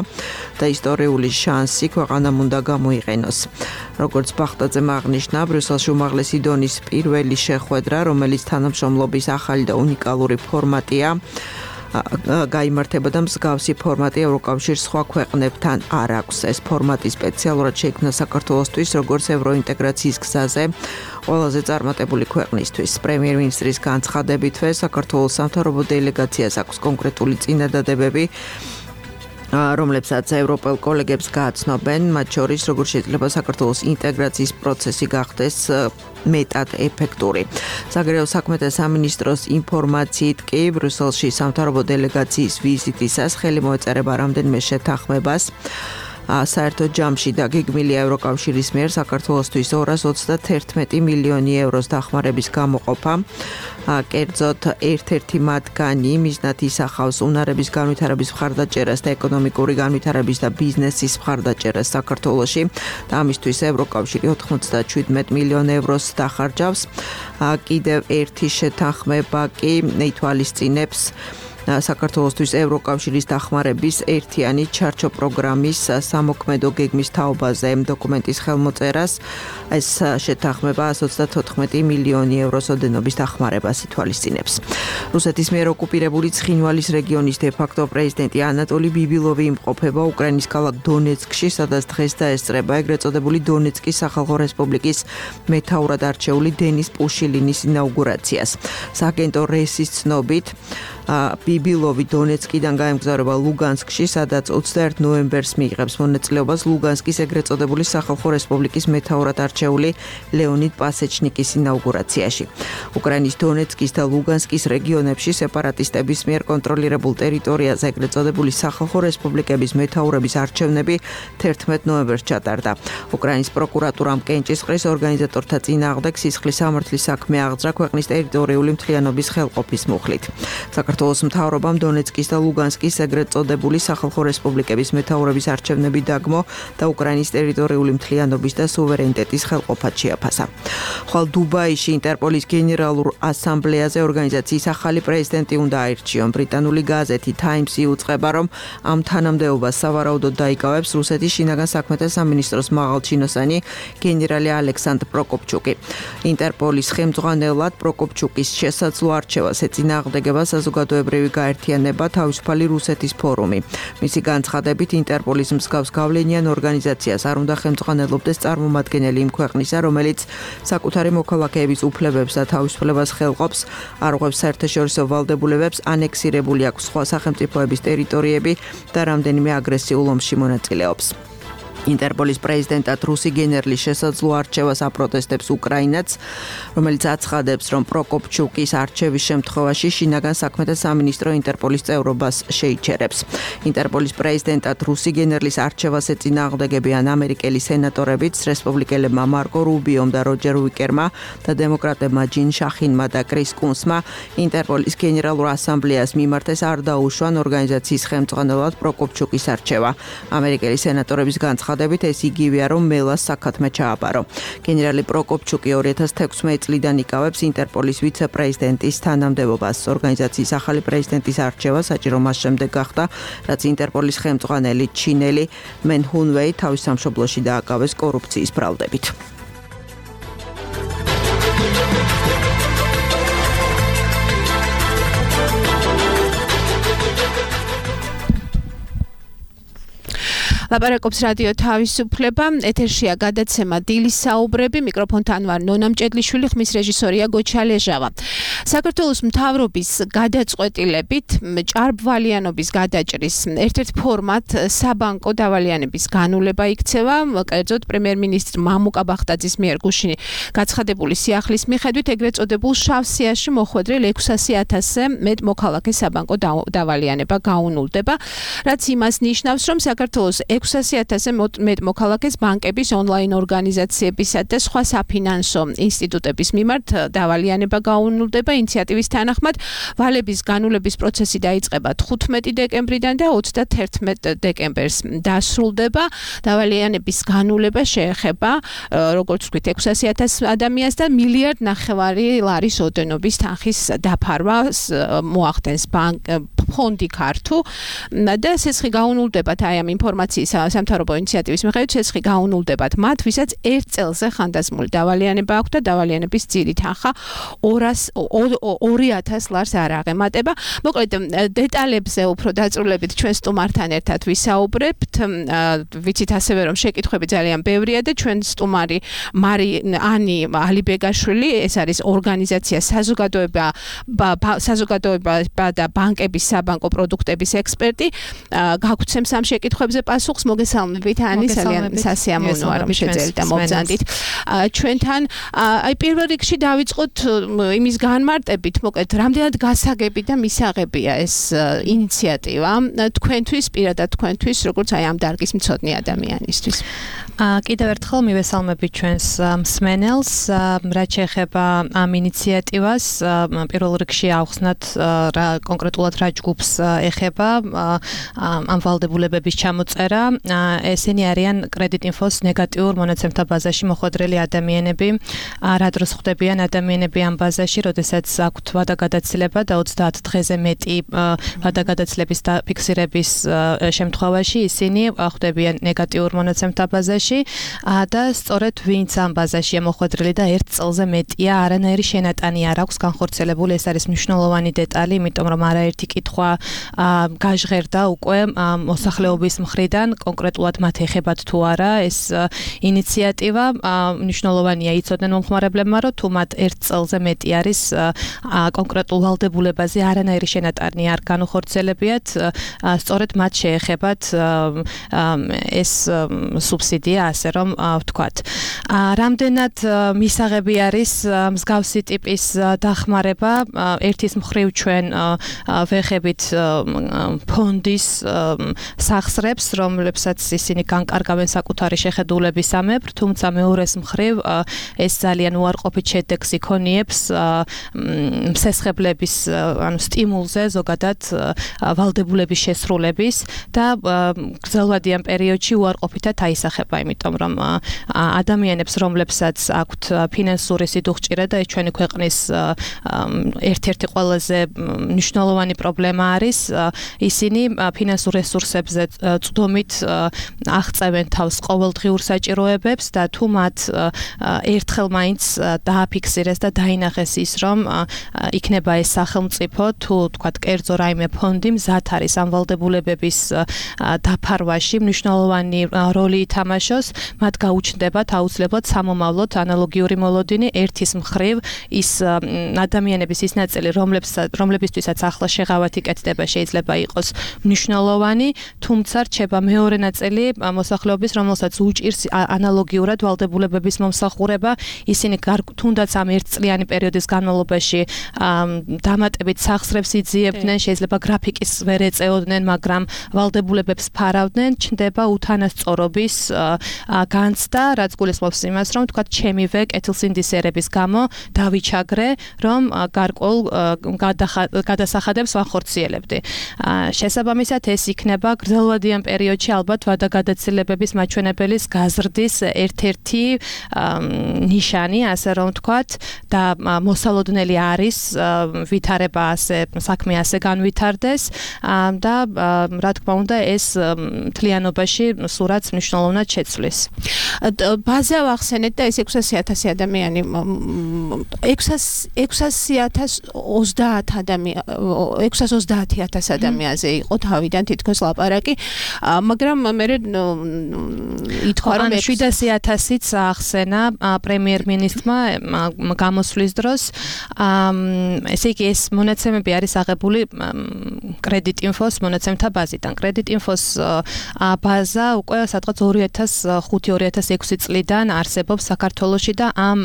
და ისტორიული შანსი ქვეყანამ უნდა გამოიყენოს. როგორც ბახტაძემ აღნიშნა, ბრიუსელში უმაღლესი დონის პირველი შეხვედრა, რომელიც თანამშრომლობის ახალი და უნიკალური ფორმატია, გაიმართება და მსგავსი ფორმატი ევროკავშირის სხვა ქვეყნებთან არ აქვს. ეს ფორმატი სპეციალურად შეიქმნა საქართველოსთვის, როგორც ევროინტეგრაციის გზაზე ყველაზე წარმატებული ქვეყნისთვის. პრემიერ-მინისტრის განცხადებითვე, საქართველოს სამთავრობო დელეგაციას აქვს კონკრეტული წინადადებები, რომლებსაც ევროპელ კოლეგებს გააცნობენ, მათ შორის როგორ შეიძლება საქართველოს ინტეგრაციის პროცესი გახდეს მეტად ეფექტური. საგარეო საქმეთა სამინისტროს ინფორმაციით კი ბრიუსელში სამთავრობო დელეგაციის ვიზიტისას ხელი მოეწერება რამდენიმე შეთანხმებას. საერთო ჯამში დაგეგმილია ევროკავშირის მიერ საქართველოსთვის ორას ოცდაათი მილიონი ევროს დახმარების გამოყოფა. კერძოდ ერთ-ერთი მათგანი მიზნად ისახავს უნარების განვითარების მხარდაჭერას და ეკონომიკური განვითარების და ბიზნესის მხარდაჭერას საქართველოში და ამისთვის ევროკავშირი ოთხმოცდაშვიდ მილიონ ევროს დახარჯავს. კიდევ ერთი შეთანხმება კი ითვალისწინებს საქართველოსთვის ევროკავშირის დახმარების ერთიანი ჩარჩო პროგრამის სამოქმედო გეგმის თაობაზე დოკუმენტის ხელმოწერას. ეს შეთანხმება εκατს ოცდათოთხმეტი მილიონი ევროს ოდენობის დახმარებას ითვალისწინებს. რუსეთის მიერ ოკუპირებული ცხინვალის რეგიონის დე-ფაქტო პრეზიდენტი ანატოლი ბიბილოვი იმყოფება უკრაინის ქალაქ დონეცკში, სადაც დღეს დაესწრება ეგრეთ წოდებული დონეცკის სახალხო რესპუბლიკის მეთაურად არჩეული დენის პუშილინის ინაუგურაციას. სააგენტო რესის ცნობით ბიბილოვი დონეცკიდან გაემგზავრება ლუგანსკში, სადაც ოცდაერთი ნოემბერს მიიღებს მონაწილეობას ლუგანსკის ეგრეთ წოდებული სახალხო რესპუბლიკის მეთაურად არჩეული ლეონიდ პასეჩნიკის ინაუგურაციაში. უკრაინის დონეცკის და ლუგანსკის რეგიონებში სეპარატისტების მიერ კონტროლირებულ ტერიტორიაზე ეგრეთ წოდებული სახალხო რესპუბლიკების მეთაურების არჩევნები თერთმეტ ნოემბერს ჩატარდა. უკრაინის პროკურატურამ კენჭისყრის ორგანიზატორთა წინააღმდეგ სისხლის სამართლის საქმე აღძრა ქვეყნის ტერიტორიული მთლიანობის ხელყოფის მუხლით. საქართველოს მთავრობამ დონეცკის და ლუგანსკის ეგრეთ წოდებული სახალხო რესპუბლიკების მეთაურების არჩევნები დაგმო და უკრაინის ტერიტორიული მთლიანობის და სუვერენიტეტის ხელყოფად შეაფასა. ხვალ დუბაიში ინტერპოლის გენერალურ ასამბლეაზე ორგანიზაციის ახალი პრეზიდენტი უნდა აირჩიონ. ბრიტანული გაზეთი Times-ი უწყება, რომ ამ თანამდებობას სავარაუდოდ დაიკავებს რუსეთის შინაგან საქმეთა სამინისტროს მაღალჩინოსანი გენერალი ალექსანდრ პროკოპჩუკი. ინტერპოლის ხელმძღვანელად პროკოპჩუკის შესაძლო არჩევას ეწინააღმდეგება საზოგადოებრივი გაერთიანება თავისუფალი რუსეთის ფორუმი. მისი განცხადებით ინტერპოლის მსგავს გავლენიან ორგანიზაციას არ უნდა ხელმძღვანელობდეს წარმომადგენელი იმ ქვეყნისა, რომელიც საკუთარი მოქალაქეების უფლებებს და თავისუფლებას ხელყოფს, არღვევს საერთაშორისო ვალდებულებებს, ანექსირებული აქვს სხვა სახელმწიფოების ტერიტორიები და რამდენიმე აგრესიულ ომში მონაწილეობს. ინტერპოლის პრეზიდენტად რუსი გენერლის შესაძლო არჩევას აპროტესტებს უკრაინაც, რომელიც აცხადებს, რომ პროკოპჩუკის არჩევის შემთხვევაში შინაგან საქმეთა სამინისტრო ინტერპოლის წევრობას შეიჩერებს. ინტერპოლის პრეზიდენტად რუსი გენერლის არჩევას ეწინააღმდეგებიან ამერიკელი სენატორებიც, რესპუბლიკელებმა მარკო რუბიომ და როჯერ უიკერმა და დემოკრატებმა ჯინ შახინმა და კრის კუნსმა ინტერპოლის გენერალურ ასამბლეას მიმართეს არ დაუშვან ორგანიზაციის ხელმძღვანელად პროკოპჩუკის არჩევა. ამერიკელი სენატორების განცხადებით ეს იგივეა, რომ მელას საქათმე ჩააბარო. გენერალი პროკოპჩუკი ორი ათას თექვსმეტი წლიდან იკავებს ინტერპოლის ვიცე-პრეზიდენტის თანამდებობას. ორგანიზაციის ახალი პრეზიდენტის არჩევა საჭირო მას შემდეგ გახდა, რაც ინტერპოლის ხელმძღვანელი ჩინელი მენ ჰუნვეი თავის სამშობლოში დააკავეს კორუფციის ბრალდებით. ლაპარაკობს რადიო თავისუფლება, ეთერშია გადაცემა დილის საუბრები, მიკროფონთან ვარ ნონა მჭედლიშვილი, ხმის რეჟისორია გოჩა ლეჟავა. საქართველოს მთავრობის გადაწყვეტილებით ჭარბვალიანობის გადაჭრის ერთ-ერთ ფორმად საბანკო დავალიანების განულება იქცევა, კერძოდ პრემიერ-მინისტრ მამუკა ბახტაძის მიერ გუშინ გაცხადებული სიახლის მიხედვით ეგრეთ წოდებულ შავ სიაში მოხვედრილ ექვსასი ათასზე მეტ მოქალაქე საბანკო დავალიანება გაუნულდება, რაც იმას ნიშნავს, რომ საქართველოს ექვსასი ათასზე მეტ მოქალაქეს ბანკების ონლაინ ორგანიზაციებისა და სხვა საფინანსო ინსტიტუტების მიმართ დავალიანება გაუნულდება. ინიციატივის თანახმად ვალების განულების პროცესი დაიწყება თხუთმეტი დეკემბრიდან და ოცდათერთმეტ დეკემბერს დასრულდება. დავალიანების განულება შეეხება, როგორც ვთქვით, ექვსასი ათას ადამიანს და მილიარდ ნახევარი ლარის ოდენობის თანხის დაფარვას მოახდენს ბანკ ფონდი ქართუ და სესხი გაუნულდებათ აი ამ ინფორმაციის სამთავრობო ინიციატივის მიხედვით სესხი გაუნულდებათ მათ, ვისაც ერთ წელზე ხანდაზმული დავალიანება აქვს და დავალიანების ძირი თანხა ორი ათას ლარს არ აღემატება. მოკლედ დეტალებზე უფრო დაწვრილებით ჩვენ სტუმართან ერთად ვისაუბრებთ. ვიცით ასევე რომ შეკითხვები ძალიან ბევრია და ჩვენ სტუმარი მარი ანი ალიბეგაშვილი, ეს არის ორგანიზაცია საზოგადოება საზოგადოება და ბანკების საბანკო პროდუქტების ექსპერტი. გაგვცემს ამ შეკითხვებზე პასუხს. მოგესალმებით ანი, ძალიან სასიამოვნოა რომ შეძელით და მოგზანდით ჩვენთან. აი პირველ რიგში დავიწყოთ იმის განმარტებით, მოკლედ რამდენად გასაგები და მისაღებია ეს ინიციატივა თქვენთვის, პირადად თქვენთვის, როგორც აი ამ დარგის მცოდნე ადამიანისთვის. კიდევ ერთხელ მივესალმებით ჩვენს მსმენელს, რაც შეეხება ამ ინიციატივას, პირველ რიგში ავხსნათ რა კონკრეტულად რა ჯგუფს ეხება ამ ვალდებულებების ჩამოწერა. ესენი არიან კრედიტ ინფოს ნეგატიურ მონაცემთა ბაზაში მოხვედრილი ადამიანები. რა დროს ხვდებიან ადამიანები ამ ბაზაში, როდესაც აქვთ ვადაგადაცილება და ოცდაათ დღეზე მეტი ვადაგადაცილების და ფიქსირების შემთხვევაში ისინი ხვდებიან ნეგატიურ მონაცემთა ბაზაში. ბაზაში და სწორედ ვინც ამ ბაზაშია მოხვედრილი და ერთ წელზე მეტია არანაირი შენატანი არ აქვს განხორციელებული, ეს არის მნიშვნელოვანი დეტალი, იმიტომ რომ არაერთი კითხვა გაჟღერდა უკვე მოსახლეობის მხრიდან, კონკრეტულად მათ ეხებათ თუ არა ეს ინიციატივა, მნიშვნელოვანია იცოდნენ მომხმარებლებმა, რომ თუ მათ ერთ წელზე მეტი არის კონკრეტულ ვალდებულებაზე არანაირი შენატანი არ განუხორციელებიათ, სწორედ მათ შეეხებათ ეს სუბსიდია, ასე რომ ვთქვათ. რამდენად მისაღები არის მსგავსი ტიპის დახმარება, ერთის მხრივ ჩვენ ვეხებით ფონდის სახსრებს, რომლებსაც ისინი განკარგავენ საკუთარი შეხედულებისამებრ, თუმცა მეორეს მხრივ ეს ძალიან უარყოფით შედეგს იქონიებს მსესხებლების ანუ სტიმულზე ზოგადად ვალდებულების შესრულების და გრძელვადიან პერიოდში უარყოფითად აისახება, იმიტომ რომ ადამიანებს, რომლებსაც აქვთ ფინანსური სიდუხჭირა და ეს ჩვენი ქვეყნის ერთ-ერთი ყველაზე მნიშვნელოვანი პრობლემა არის, ისინი ფინანსურ რესურსებზე წვდომით აღწევენ თავს ყოველდღიურ საჭიროებებს და თუ მათ ერთხელ მაინც დააფიქსირეს და დაინახეს ის, რომ იქნება ეს სახელმწიფო თუ თქვათ კერძო რაიმე ფონდი მზად არის ამ ვალდებულებების დაფარვაში მნიშვნელოვანი როლი ითამაშოს, მათ გაუჩნდებათ აუცილებლად სამომავლოდ ანალოგიური მოლოდინი ერთის მხრივ ის ადამიანების ის ნაწილი, რომლებისთვისაც ახლა შეღავათი კეთდება შეიძლება იყოს მნიშვნელოვანი, თუმცა რჩება მეორე ნაწილი მოსახლეობის, რომელსაც უჭირს ანალოგიურად ვალდებულებების მომსახურება, ისინი თუნდაც ამ ერთწლიანი პერიოდის განმავლობაში დამატებით სახსრებს იძიებდნენ, შეიძლება გრაფიკის ვერ ეწეოდნენ, მაგრამ ვალდებულებებს ფარავდნენ, ჩნდება უთანასწორობის განცდა, რაც გულისხმობს იმას, რომ თქვა ჩემივე კეთილსინდისერების გამო დავიჩაგრე, რომ გარკვეულ გადასახადებს ვახორციელებდი. შესაბამისად ეს იქნება გრძელვადიან პერიოდში ალბათ ვადაგადაცილებების მაჩვენებელის გაზრდის ერთ-ერთი ნიშანი, ასე რომ ვთქვათ, და მოსალოდნელი არის ვითარება ასე საქმე ასე განვითარდეს და რა თქმა უნდა ეს მთლიანობაში სურათს მნიშვნელოვნად შეცვლის. ბაზა ვახსენეთ და ეს ექვსასი ათასი ადამიანი ექვსასი ათას ოცდაათ ადამიანი ექვსას ოცდაათი ათას ადამიანზე იყო თავიდან თითქოს ლაპარაკი, მაგრამ მე ითქვა რომ შვიდასი ათასიც ახსენა პრემიერ-მინისტრმა გამოსვლის დროს. ესე იგი ეს მონაცემები არის აღებული კრედიტ-ინფოს მონაცემთა ბაზიდან. კრედიტ-ინფოს ბაზა უკვე სადღაც ორი ათას ხუთი ორი ათას ექვსი წლიდან არსებობს საქართველოში და ამ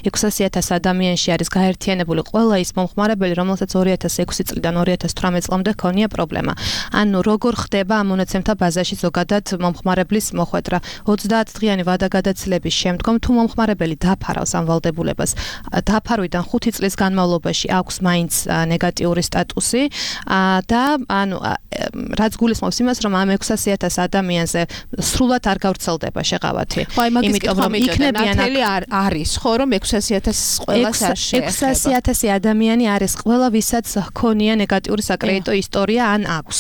ექვსასი ათას ადამიანში არის გაერთიანებული ყველა ის მომხმარებელი, რომელსაც ორი ათას ექვსი წლიდან ორი ათას თვრამეტ წლამდე ჰქონია პრობლემა. ანუ როგორ ხდება ამ მონაცემთა ბაზაში ზოგადად მომხმარებლის მოხვედრა? ოცდაათ დღიანი ვადაგადაცილების შემდგომ თუ მომხმარებელი დაფარავს ამ ვალდებულებას, დაფარვიდან ხუთი წლის განმავლობაში აქვს მაინც ნეგატიური სტატუსი და ანუ რაც გულისხმობს იმას, რომ ამ ექვსასი ათას ადამიანზე სრულად არ გავრცელდება შეღავათი. იმიტომ რომ იქნებიან არის ხო რომ ექვსასი ათას ყველას არ შეეხება. ექვსასი ათასი ადამიანი არის ყველა, ვისაც ჰქონია ნეგატიური საკრედიტო ისტორია ან აქვს.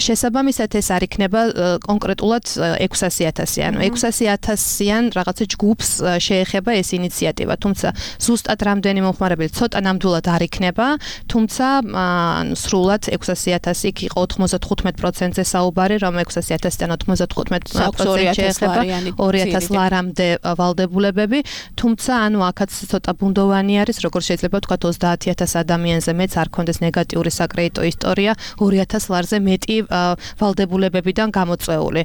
შესაბამისად ეს არ იქნება კონკრეტულად ექვსასი ათასი, ანუ ექვსასი ათასიან რაღაცა ჯგუფს შეეხება ეს ინიციატივა, თუმცა ზუსტად რამდენი მომხმარებელი ცოტა ნამდვილად არ იქნება, თუმცა სრულად ექვსასი ათასი იქ იყო ოთხმოცდათხუთმეტ პროცენტზე საუბარი, რომ ექვსასი ათასიდან ოთხმოცდათხუთმეტ პროცენტი შეეხება ორი ათას ლარამდე ვალდებულებები, თუმცა ანუ აქაც ცოტა ბუნდოვანი არის, როგორც შეიძლება ვთქვათ ოცდაათი ათას ადამიანზე მეც არ ქონდეს ნეგატიური საკრედიტო ისტორია ორი ათას ლარზე მეტი ვალდებულებებიდან გამოწვეული.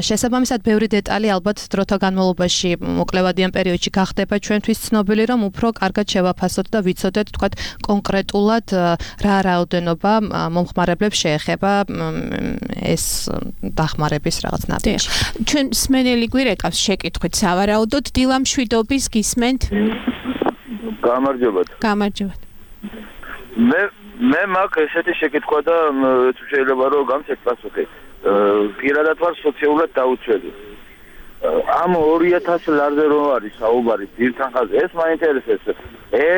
შესაბამისად ბევრი დეტალი ალბათ დროთა განმავლობაში მოკლევადიან პერიოდში გახდება ჩვენთვის ცნობილი, რომ უფრო კარგად შევაფასოთ და ვიცოდეთ თქვათ კონკრეტულად რა რაოდენობა მომხმარებლებს შეეხება ეს დახმარების რაღაც ნაბიჯი. ჩვენ სმენელი გვირეკავს შეკითხვით სავარაუდოდ დილა მშვიდობის გისმენთ? გამარჯობათ. გამარჯობათ. მე მე მაქვს ესეთი შეკითხვა და თუ შეიძლება რომ გამცეთ პასუხი. პირადად ვარ სოციალურად დაუცველი. ამ ორი ათას ლარზე რო არის საუბარი ძირთან ხაზზე, ეს მაინტერესებს. ე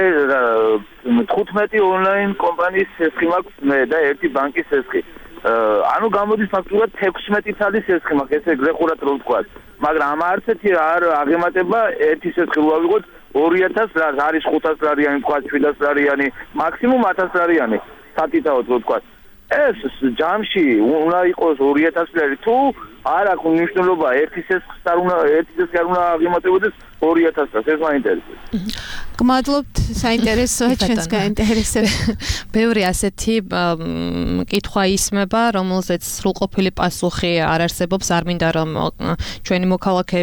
თხუთმეტი ონლაინ კომპანიის სესხი მაქვს მე და ერთი ბანკის სესხი. ანუ გამოდის ფაქტურად თექვსმეტი წელი სესხი მაქვს ესე გლეხურად რო ვთქვა მაგრამ ამ არცეთი არ აღემატება ერთი სესხი რო ავიღოთ ორი ათას ლარს არის ხუთას ლარიანი თქვა შვიდას ლარიანი მაქსიმუმ ათას ლარიანი სათითაოდ რო ვთქვა ეს ჯამში უნდა იყოს ორი ათას ლარი თუ არ აქვს მნიშვნელობა ერთი სესხს არ უნდა ერთი სესხი არ უნდა აღემატებოდეს ორი ათას ლარს ეს მაინტერესებს გმადლობთ საინტერესოა ჩვენს გაინტერესებს ბევრი ასეთი კითხვა ისმება რომელზეც სრულყოფილი პასუხი არ არსებობს არ მინდა რომ ჩვენი მოქალაქე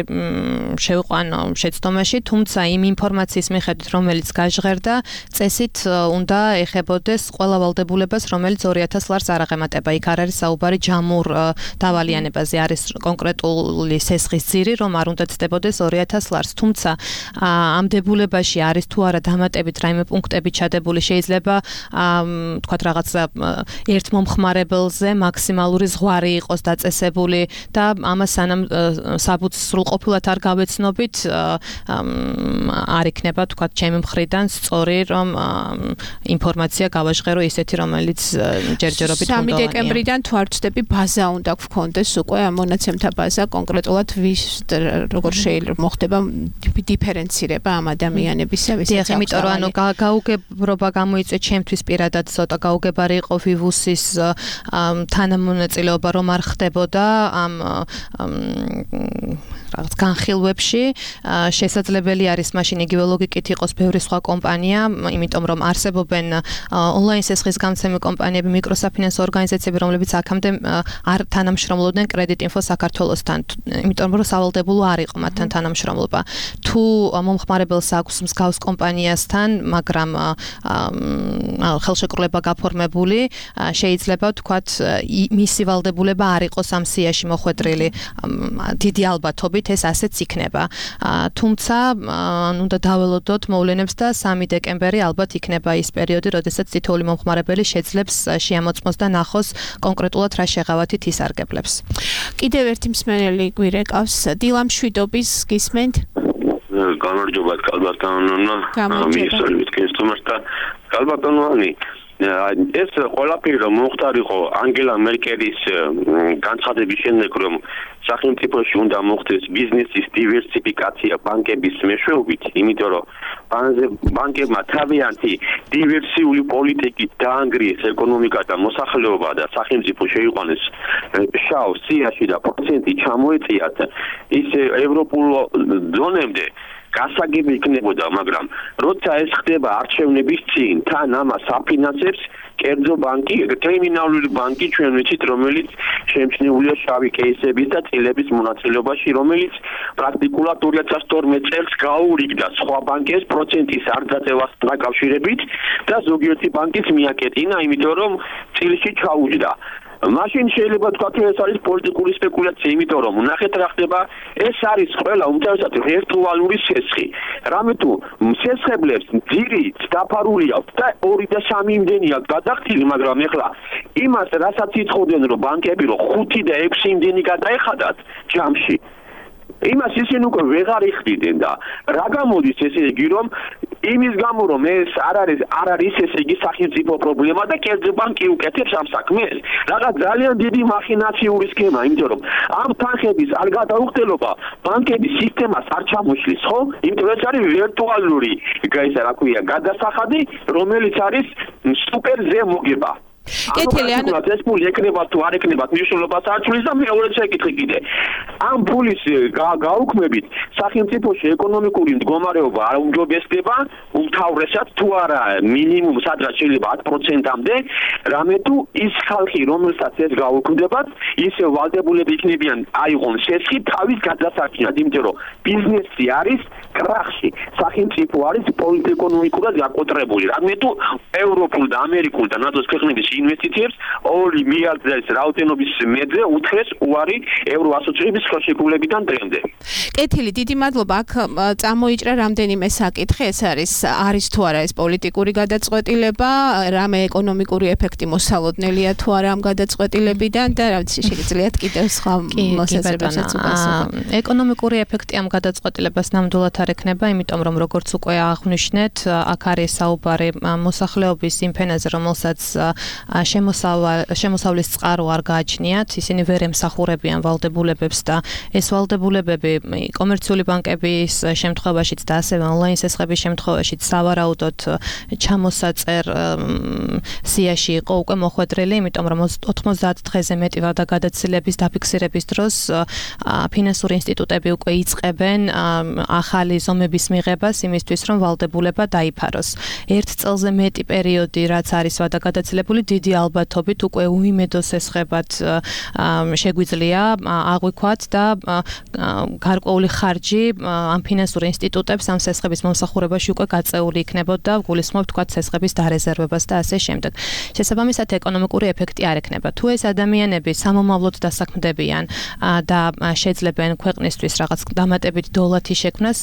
შევიყვანო შეცდომაში თუმცა იმ ინფორმაციის მიხედვით რომელიც გაჟღერდა წესით უნდა ეხებოდეს ყველა ვალდებულებას რომელიც ორი ათას ლარს არ აღემატება იქ არ არის საუბარი ჯამურ დავალიანებაზე არის კონკრეტული სესხის ძირი რომ არ უნდა ცდებოდეს ორი ათას ლარს თუმცა ამ დებულებაში არის თუ არა დამატებით რაიმე პუნქტები ჩადებული შეიძლება თქვათ რაღაც ერთ მომხმარებელზე მაქსიმალური ზღვარი იყოს დაწესებული და ამას სანამ საბუთს სრულყოფილად არ გავეცნობით არ იქნება თქვათ ჩემი მხრიდან სწორი რომ ინფორმაცია გავაჟღერო ისეთი რომელიც ჯერჯერობით სამი დეკემბრიდან თუ არ ვწდები ბაზა უნდა გქონდეს უკვე ამ მონაცემთა ბაზა კონკრეტულად ვის როგორ შეიძლება მოხდება დიფერენცირება ამ ადამიანებისა დიახ, იმიტომ რომ ანუ გაუგებრობა გამოიწვია ჩემთვის პირადად ცოტა გაუგებარი იყო ვივუსის თანამონაწილეობა რომ არ ხდებოდა ამ რაღაც განხილვებში შესაძლებელი არის მაშინ იგივე ლოგიკით იყოს ბევრი სხვა კომპანია იმიტომ რომ არსებობენ ონლაინ სესხის გამცემი კომპანიები მიკროსაფინანსო ორგანიზაციები რომლებიც აქამდე არ თანამშრომლობდნენ კრედიტ ინფო საქართველოსთან იმიტომ რომ სავალდებულო არ იყო მათთან თანამშრომლობა თუ მომხმარებელს აქვს მსგავს კომპანიასთან მაგრამ ხელშეკრულება გაფორმებული შეიძლება ვთქვათ მისი ვალდებულება არ იყოს ამ სიაში მოხვედრილი დიდი ალბათობით ეს ასეც იქნება. თუმცა უნდა დაველოდოთ მოვლენებს და სამი დეკემბერი ალბათ იქნება ის პერიოდი, როდესაც თითოეული მომხმარებელი შეძლებს შეამოწმოს და ნახოს კონკრეტულად რა შეღავათით ისარგებლებს. კიდევ ერთი მსმენელი გვირეკავს დილა მშვიდობის გისმენთ? გამარჯობა კალბატონო. მისწორებით კენსტომას და კალბატონოანი ეს ყველაფერი რომ მოხდარიყო ანგელა მერკელის განცხადების შემდეგ რომ სახელმწიფოში უნდა მოხდეს ბიზნესის დივერსიფიკაცია ბანკების მეშვეობით, იმიტომ რომ ბანკებმა თავიანთი დივერსიული პოლიტიკით დაანგრიეს ეკონომიკა და მოსახლეობა და სახელმწიფო შეიყვანეს შავ სიაში და პროცენტი ჩამოეწიათ ის ევროპულ ზონამდე გასაგები იქნებოდა, მაგრამ როცა ეს ხდება არჩევნების წინ, თან ამას აფინანსებს კერძო ბანკი, კრიმინალური ბანკი ჩვენ ვიცით, რომელიც შემჩნეულია შავი კეისების და წილების მონაწილეობაში, რომელიც პრაქტიკულად ორი ათას თორმეტ წელს გაურიგდა სხვა ბანკებს პროცენტის არ დაწევასთან დაკავშირებით და ზოგიერთი ბანკის მიაკეტინა, იმიტომ რომ წილში ჩაუჯდა. მაშინ შეიძლება თქვა რომ ეს არის პოლიტიკური სპეკულაცია, იმიტომ რომ ნახეთ რა ხდება, ეს არის ყველა უმთავრესად ვირტუალური სესხი. რამე თუ სესხებლებს ძირი დაფარული აქვს და ორი და სამი იმდენია გადახდილი, მაგრამ ეხლა იმას რასაც ითხოვდნენ რომ ბანკები რომ ხუთი და ექვსი იმდენი გადაეხადათ ჯამში იმას ისინი უკვე ვეღარ იხდიდნენ და რა გამოდის ესე იგი რომ იმის გამო რომ ეს არ არის არ არის ესე იგი სახელმწიფო პრობლემა და კერძო ბანკი უკეთებს ამ საქმეს რაღაც ძალიან დიდი მახინაციური სქემა იმიტომ რომ ამ თანხების არ გადაუხდელობა ბანკების სისტემას არ ჩამოშლის ხო იმიტომ ეს არის ვირტუალური ისე რა ქვია გადასახადი რომელიც არის სუპერ ზემოგება კეთილი ანუ ეს ფული ეკნება თუ არ ეკნება მნიშვნელობას არ ჩვლის და მეორე შეკითხი კიდე ამ ფულის გაუქმებით სახელმწიფოში ეკონომიკური მდგომარეობა არ უმჯობესდება უმთავრესად თუ არა მინიმუმ სადღაც შეიძლება ათ პროცენტამდე რამე თუ ის ხალხი რომელსაც ეს გაუქმდებათ ისე ვალდებულები იქნებიან აიღონ სესხი თავის გადასარჩენად იმიტომ რომ ბიზნესი არის კრახში სახელმწიფო არის პოლიტიკურ-ეკონომიკურად გაკოტრებული რამე თუ ევროპულ და ამერიკულ და ნატოს ქვეყნების ინვესტიციებს ორი მილიარდის რაოდენობის მეძე უთხრეს უარი ევრო ასოციაციების ხელშეკრულებიდან დღემდე. კეთილი, დიდი მადლობა. აქ წამოიჭრა რამდენიმე საკითხი, ეს არის არის თუ არა ეს პოლიტიკური გადაწყვეტილება, რამე ეკონომიკური ეფექტი მოსალოდნელია თუ არა ამ გადაწყვეტილებიდან და რა ვიცი შეგიძლიათ კიდევ სხვა მოსაზრებებსაც უპასუხოთ. ეკონომიკური ეფექტი ამ გადაწყვეტილებას ნამდვილად არ ექნება, იმიტომ რომ როგორც უკვე აღნიშნეთ, აქ არის საუბარი მოსახლეობის იმ ფენაზე, რომელსაც შემოსავლის წყარო არ გააჩნიათ, ისინი ვერ ემსახურებიან ვალდებულებებს და ეს ვალდებულებები კომერციული ბანკების შემთხვევაშიც და ასევე ონლაინ სესხების შემთხვევაშიც სავარაუდოდ ჩამოსაწერ სიაში იყო უკვე მოხვედრილი, იმიტომ რომ ოთხმოცდაათ დღეზე მეტი ვადაგადაცილების დაფიქსირების დროს ფინანსური ინსტიტუტები უკვე იწყებენ ახალი ზომების მიღებას იმისთვის, რომ ვალდებულება დაიფაროს. ერთ წელზე მეტი პერიოდი, რაც არის ვადაგადაცილებული, დიდი ალბათობით უკვე უიმედო სესხებად შეგვიძლია აღვიქვათ და გარკვეული ხარჯი ამ ფინანსურ ინსტიტუტებს ამ სესხების მომსახურებაში უკვე გაწეული იქნებოდა, გულისხმობ თქვათ სესხების დარეზერვებას და ასე შემდეგ. შესაბამისად ეკონომიკური ეფექტი არ ექნება. თუ ეს ადამიანები სამომავლოდ დასაქმდებიან და შეძლებენ ქვეყნისთვის რაღაც დამატებით დოლათი შექმნას,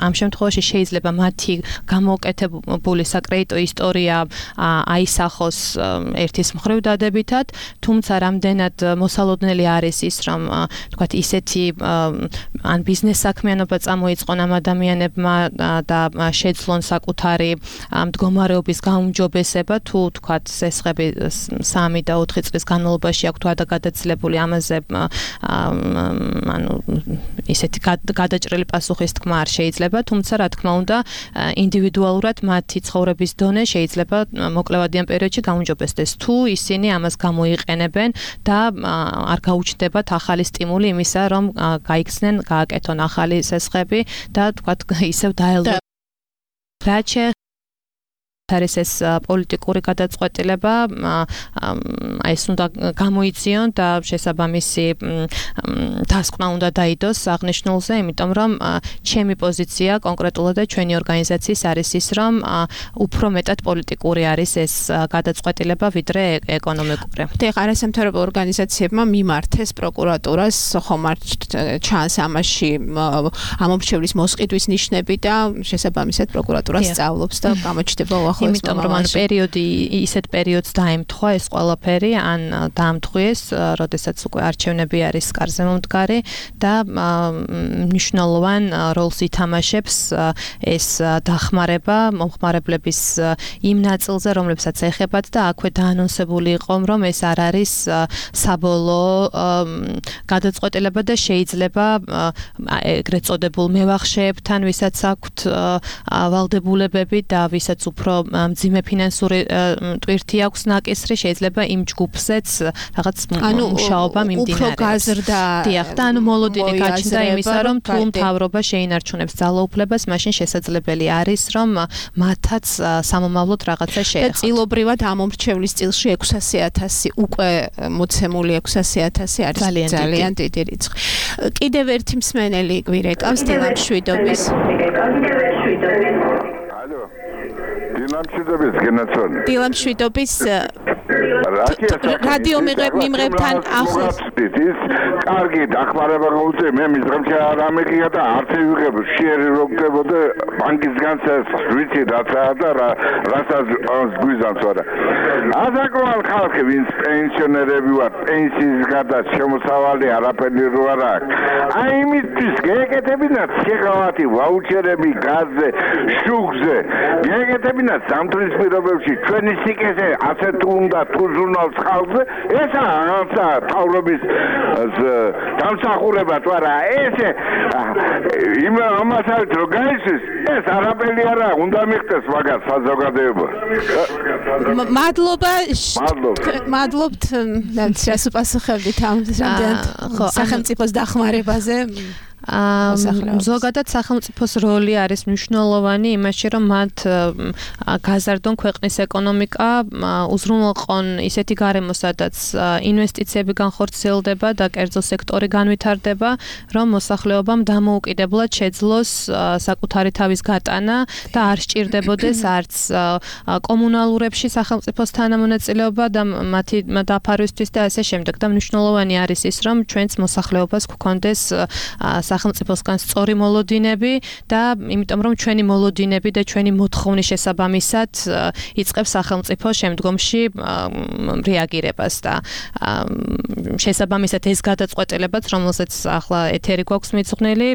ამ შემთხვევაში შეიძლება მათი გამოუკეთებული საკრედიტო ისტორია აისახოს ერთის მხრივ დადებითად, თუმცა რამდენად მოსალოდნელი არის ის, რომ თქვათ ისეთი ან ბიზნეს საქმიანობა წამოიწყონ ამ ადამიანებმა და შეძლონ საკუთარი მდგომარეობის გაუმჯობესება, თუ თქვათ სესხები სამი და ოთხი წლის განმავლობაში აქვთ ვადაგადაცილებული, ამაზე ანუ ისეთი გადაჭრილი პასუხის თქმა არ შეიძლება, თუმცა რა თქმა უნდა ინდივიდუალურად მათი ცხოვრების დონე შეიძლება მოკლევადიან პერიოდში გაუმჯობესდეს, თუ ისინი ამას გამოიყენებენ და არ გაუჩნდებათ ახალი სტიმული იმისა, რომ გაიქცნენ, გააკეთონ ახალი სესხები და თქვათ ისევ დაელოდონ. რაც არის ეს პოლიტიკური გადაწყვეტილება, აი ეს უნდა გამოიციონ და შესაბამისი დასკვნა უნდა დაიდოს აღნიშნულზე, იმიტომ რომ ჩემი პოზიცია კონკრეტულად და ჩვენი ორგანიზაციის არის ის, რომ უფრო მეტად პოლიტიკური არის ეს გადაწყვეტილება, ვიდრე ეკონომიკური. და არასამთავრობო ორგანიზაციებმა მიმართეს პროკურატურას, ხომ არ ჩანს ამაში ამომრჩევლის მოსყიდვის ნიშნები და შესაბამისად პროკურატურა სწავლობს და გამოჩნდება იმიტომ რომ ან პერიოდი ისეთ პერიოდს დაემთხვა ეს ყველაფერი, ან დაამთხვიეს, როდესაც უკვე არჩევნები არის კარზე მომდგარი და მნიშვნელოვან როლს ითამაშებს ეს დახმარება მომხმარებლების იმ ნაწილზე, რომლებსაც ეხებათ და აქვე დაანონსებული იყო, რომ ეს არ არის საბოლოო გადაწყვეტილება და შეიძლება ეგრეთ წოდებულ მევახშეებთან, ვისაც აქვთ ვალდებულებები და ვისაც უფრო მძიმე ფინანსური ტვირთი აქვს ნაკისრი, შეიძლება იმ ჯგუფზეც რაღაც მუშაობა მიმდინარეობს. უფრო გაზრდა. დიახ, და ანუ მოლოდინი გაჩნდა იმისა, რომ თუ მთავრობა შეინარჩუნებს ძალაუფლებას, მაშინ შესაძლებელი არის, რომ მათაც სამომავლოდ რაღაცა შეეხოთ. და წილობრივად ამომრჩევლის წილში ექვსასი ათასი უკვე მოცემული ექვსასი ათასი არის ძალიან დიდი რიცხვი. კიდევ ერთი მსმენელი გვირეკავს დილამშვიდობის. ალო. დილამშვიდობის გენაცონი. დილამშვიდობის რადიო მიმღებთან ახლოს. ის კარგი დახმარება გაუწე, მე მის დღემში არ ამიღია და არც ვიღებ შეერი რო გდებოდა ბანკისგან ვიცი რაცაა და რასაც გვიზამს არა. ასაკოვან ხალხი ვინც პენსიონერები ვარ, პენსიის გარდა შემოსავალი არაფერი რო არ აქვს. აი იმისთვის გეკეთებინათ შეღავათი ვაუჩერები გაზზე, შუქზე. გეკეთებინათ სამთრის პირობებში ჩვენი სიკეთე ასე თუ უნდა თუ ჟურნალს ხალხზე, ესა რაღაცა თავრობის დამსახურება თუ არა, ესე იმ ამასაც რო გაიცის, ეს არაფერი არა, უნდა მიხდეს მაგას საზოგადოება. მადლობა. მადლობთ, რაც უპასუხებდით ამ სახელმწიფოს დახმარებაზე. ზოგადად სახელმწიფოს როლი არის მნიშვნელოვანი იმაში, რომ მათ გაზარდონ ქვეყნის ეკონომიკა, უზრუნველყონ ისეთი გარემო, სადაც ინვესტიციები განხორციელდება და კერძო სექტორი განვითარდება, რომ მოსახლეობამ დამოუკიდებლად შეძლოს საკუთარი თავის გატანა და არ სჭირდებოდეს არც კომუნალურებში სახელმწიფოს თანამონაწილეობა და მათი დაფარვისთვის და ასე შემდეგ. და მნიშვნელოვანი არის ის, რომ ჩვენც მოსახლეობას გვქონდეს სახელმწიფოსგან სწორი მოლოდინები და იმიტომ რომ ჩვენი მოლოდინები და ჩვენი მოთხოვნის შესაბამისად იწყებს სახელმწიფო შემდგომში რეაგირებას და შესაბამისად ეს გადაწყვეტილებაც რომელსაც ახლა ეთერი გვაქვს მიძღვნილი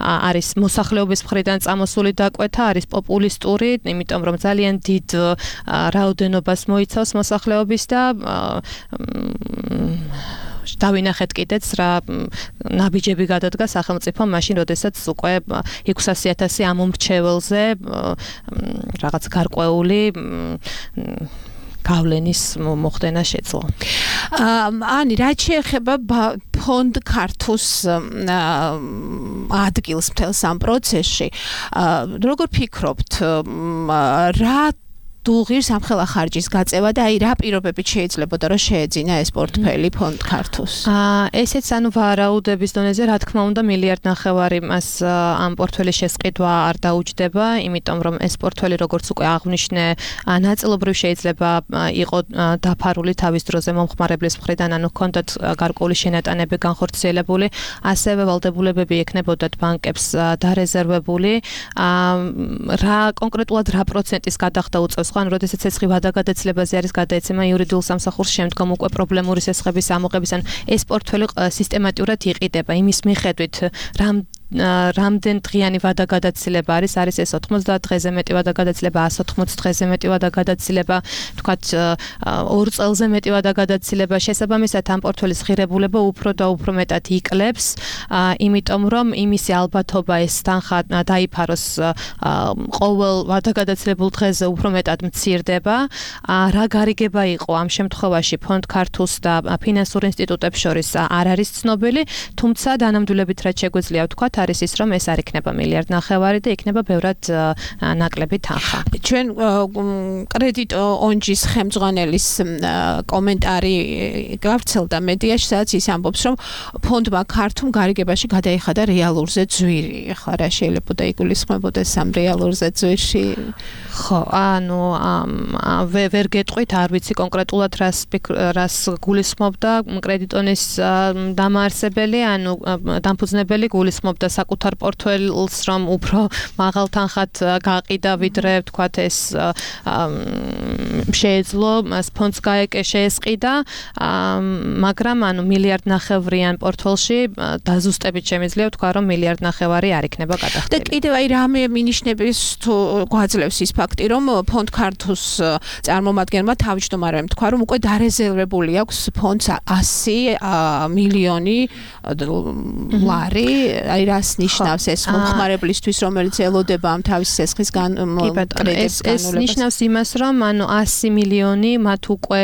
არის მოსახლეობის მხრიდან წამოსული დაკვეთა არის პოპულისტური იმიტომ რომ ძალიან დიდ რაოდენობას მოიცავს მოსახლეობის და დავინახეთ კიდეც რა ნაბიჯები გადადგა სახელმწიფო მაშინ როდესაც უკვე ექვსასი ათასი ამ მრჩეველზე რაღაც გარკვეული გავლენის მოხდენა შეძლო. ანი, რაც შეეხება ფონდ ქართუს ადგილს მთელს ამ პროცესში, როგორ ფიქრობთ, რა დუღირს ამ ხელა ხარჯის გაწევა და აი რა პირობებით შეიძლებოდა რომ შეეძინა ეს პორტფელი ფონდ ქართუს? აა ესეც ანუ ვარაუდების დონეზე რა თქმა უნდა მილიარდ ნახევარი მას ამ პორტფელის შესყიდვა არ დაუჯდება, იმიტომ რომ ეს პორტფელი როგორც უკვე აღვნიშნე, ნაწილობრივ შეიძლება იყო დაფარული თავის დროზე მომხმარებლის მხრიდან, ანუ ჰქონდათ გარკვეული შენატანები განხორციელებული, ასევე ვალდებულებები ექნებოდათ ბანკებს დარეზერვებული, რა კონკრეტულად რა პროცენტის გადახდა უწევს ხან როდესაც ეს ვადაგადაცლებაზე არის გადაეცემა იურიდიულ სამსახურს შემდგომ უკვე პრობლემური სესხების ამოღების ან ეს პორტფელი სისტემატურად იყიდება იმის მიხედვით რამ რამდენ დღიანი ვადაგადაცილება არის არის ეს ოთხმოცდაათ დღეზე მეტი ვადაგადაცილება one hundred eighty დღეზე მეტი ვადაგადაცილება თქვათ ორ წელზე მეტი ვადაგადაცილება შესაბამისად ამ პორტფელის ღირებულება უფრო და უფრო მეტად იკლებს იმიტომ რომ იმისი ალბათობა ეს თანხა დაიფაროს ყოველ ვადაგადაცილებულ დღეზე უფრო მეტად მცირდება რა გარიგება იყო ამ შემთხვევაში ფონდ ქართულს და ფინანსურ ინსტიტუტებს შორის არ არის ცნობილი თუმცა დანამდვილებით რაც შეგვიძლია ვთქვათ არის ის რომ ეს არ იქნება მილიარდ ნახევარი და იქნება ბევრად ნაკლები თანხა. ჩვენ კრედიტ ონჯის ხელმძღვანელის კომენტარი გავრცელდა მედიაში, სადაც ის ამბობს, რომ ფონდმა ქართულ გარიგებაში გადაიხადა რეალურზე ძვირი. ახლა რა შეიძლება იგულისხმებოდეს ამ რეალურზე ძვირში? ხო, ანუ ვერ გეტყვით, არ ვიცი კონკრეტულად რას რას გულისხმობდა კრედიტონის დამაარსებელი, ანუ დამფუძნებელი გულისხმობდა საკუთარ პორტფელს, რომ უფრო მაღალ თანხად გაყიდა, ვიდრე ვთქვათ ეს შეეძლო ფონდს შეესყიდა, მაგრამ ანუ მილიარდ ნახევრიან პორტფელში დაზუსტებით შემიძლია ვთქვა, რომ მილიარდ ნახევარი არ იქნება გადახდილი. და კიდევ აი რამე მინიშნების თუ გვაძლევს ის ფაქტი, რომ ფონდ ქართულს წარმომადგენლმა თავმჯდომარემ თქვა, რომ უკვე დარეზერვებული აქვს ფონდს one hundred მილიონი ლარი, აი რას ნიშნავს ეს მომხმარებლისთვის, რომელიც ელოდება ამ თავის სესხის კრედიტებს განულებას? ეს ნიშნავს იმას, რომ ანუ one hundred მილიონი მათ უკვე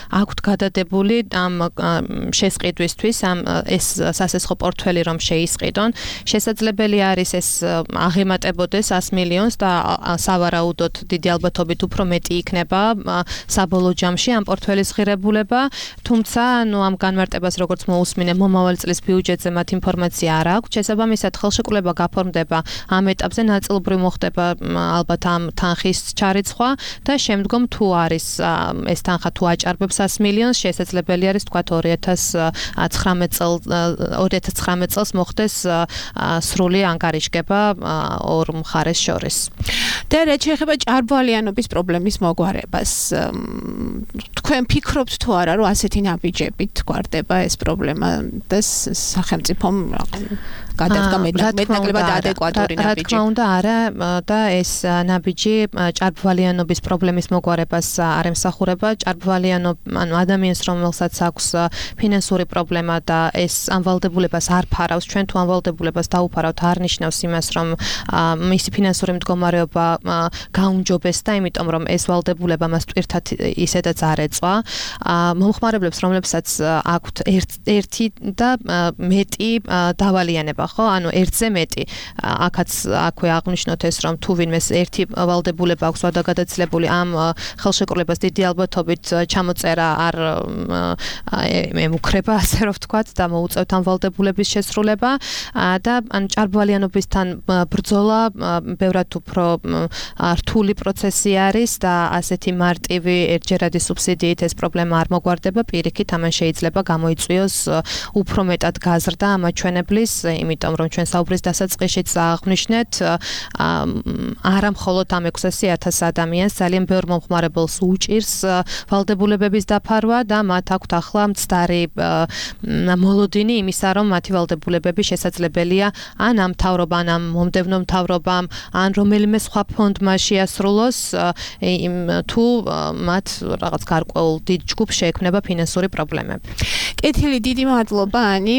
აქვთ გადადებული ამ შესყიდვისთვის, ამ ეს სასესხო პორტფელი რომ შეისყიდონ. შესაძლებელი არის ეს აღემატებოდეს one hundred მილიონს და სავარაუდოდ დიდი ალბათობით უფრო მეტი იქნება საბოლოო ჯამში ამ პორტფელის ღირებულება, თუმცა ანუ ამ განმარტებას როგორც მოусმინე მომავალ წლის ბიუჯეტზე მათ ინფორმაცია არ აქვს. შესაბამისად ხელშეკრულება გაფორმდება ამ ეტაპზე ნაწილობრივ მოხდება ალბათ ამ თანხის ჩარიცხვა და შემდგომ თუ არის ეს თანხა თუ აჭარბებს one hundred მილიონს შესაძლებელი არის თქვა two thousand nineteen წელს მოხდეს სრული ანგარიშგება ორ მხარეს შორის. და რაც შეეხება ჭარბვალიანობის პრობლემის მოგვარებას, თქვენ ფიქრობთ თუ არა, რომ ასეთი ნაბიჯებით გვარდება ეს პრობლემა და სახელმწიფომ გადადგა მეტნაკლებად ადეკვატური ნაბიჯი? რა თქმა უნდა არა და ეს ნაბიჯი ჭარბვალიანობის პრობლემის მოგვარებას არ ემსახურება. ჭარბვალიანობა ანუ ადამიანს რომელსაც აქვს ფინანსური პრობლემა და ეს ამ ვალდებულებას არ ფარავს, ჩვენ თუ ამ ვალდებულებას დაუფარავთ არ ნიშნავს იმას, რომ მისი ფინანსური მდგომარეობა გაუმჯობესდა, იმიტომ რომ ეს ვალდებულება მას ტვირთად ისედაც არ ეწვა. მომხმარებლებს რომლებსაც აქვთ ერთი და მეტი დავალიანება, ხო? ანუ ერთზე მეტი. აქაც აქვე აღნიშნოთ ეს, რომ თუ ვინმეს ერთი ვალდებულება აქვს ვადაგადაცილებული, ამ ხელშეკრულებას დიდი ალბათობით ჩამოწერა არ ემუქრება, ასე რომ ვთქვათ, და მოუწევთ ამ ვალდებულების შესრულება და ან ჭარბვალიანობისთან ბრძოლა ბევრად უფრო რთული პროცესი არის და ასეთი მარტივი ერთჯერადი სუბსიდიით ეს პრობლემა არ მოგვარდება, პირიქით ამან შეიძლება გამოიწვიოს უფრო მეტად გაზრდა ამაჩვენებლის, იმიტომ რომ ჩვენ საუბრის დასაწყისშიც აღნიშნეთ, არა მხოლოდ ამ ექვსასი ათას ადამიანს ძალიან ბევრ მომხმარებელს უჭირს ვალდებულებების დაფარვა და მათ აქვთ ახლა მცდარი მოლოდინი იმისა, რომ მათი ვალდებულებები შესაძლებელია ან ამ მთავრობამ, ან მომდევნო მთავრობამ, ან რომელიმე სხვა ფონდმა შეასრულოს, თუ მათ რაღაც გარკვეულ დიდ ჯგუფს შეექმნება ფინანსური პრობლემები. კეთილი, დიდი მადლობა ანი.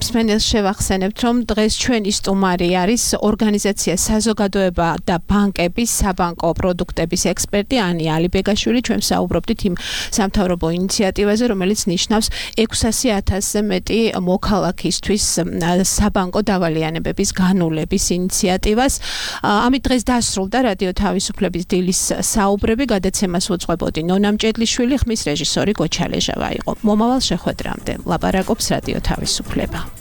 მსმენელს შევახსენებთ, რომ დღეს ჩვენი სტუმარი არის ორგანიზაცია საზოგადოება და ბანკების საბანკო პროდუქტების ექსპერტი ანი ალიბეგაშვილი. ჩვენ საუბრობდით იმ სამთავრობო ინიციატივაზე, რომელიც ნიშნავს ექვსასი ათასზე მეტი მოქალაქისთვის საბანკო დავალიანებების განულების ინიციატივას. ამით დღეს დასრულდა რადიო თავისუფლების დილის საუბრები. გადაცემას უძღვებოდი ნონა მჭედლიშვილი, ხმის რეჟისორი გოჩა ლეჟავა იყო. მომავალ შეხვედრამდე ლაპარაკობს რადიო თავისუფლება.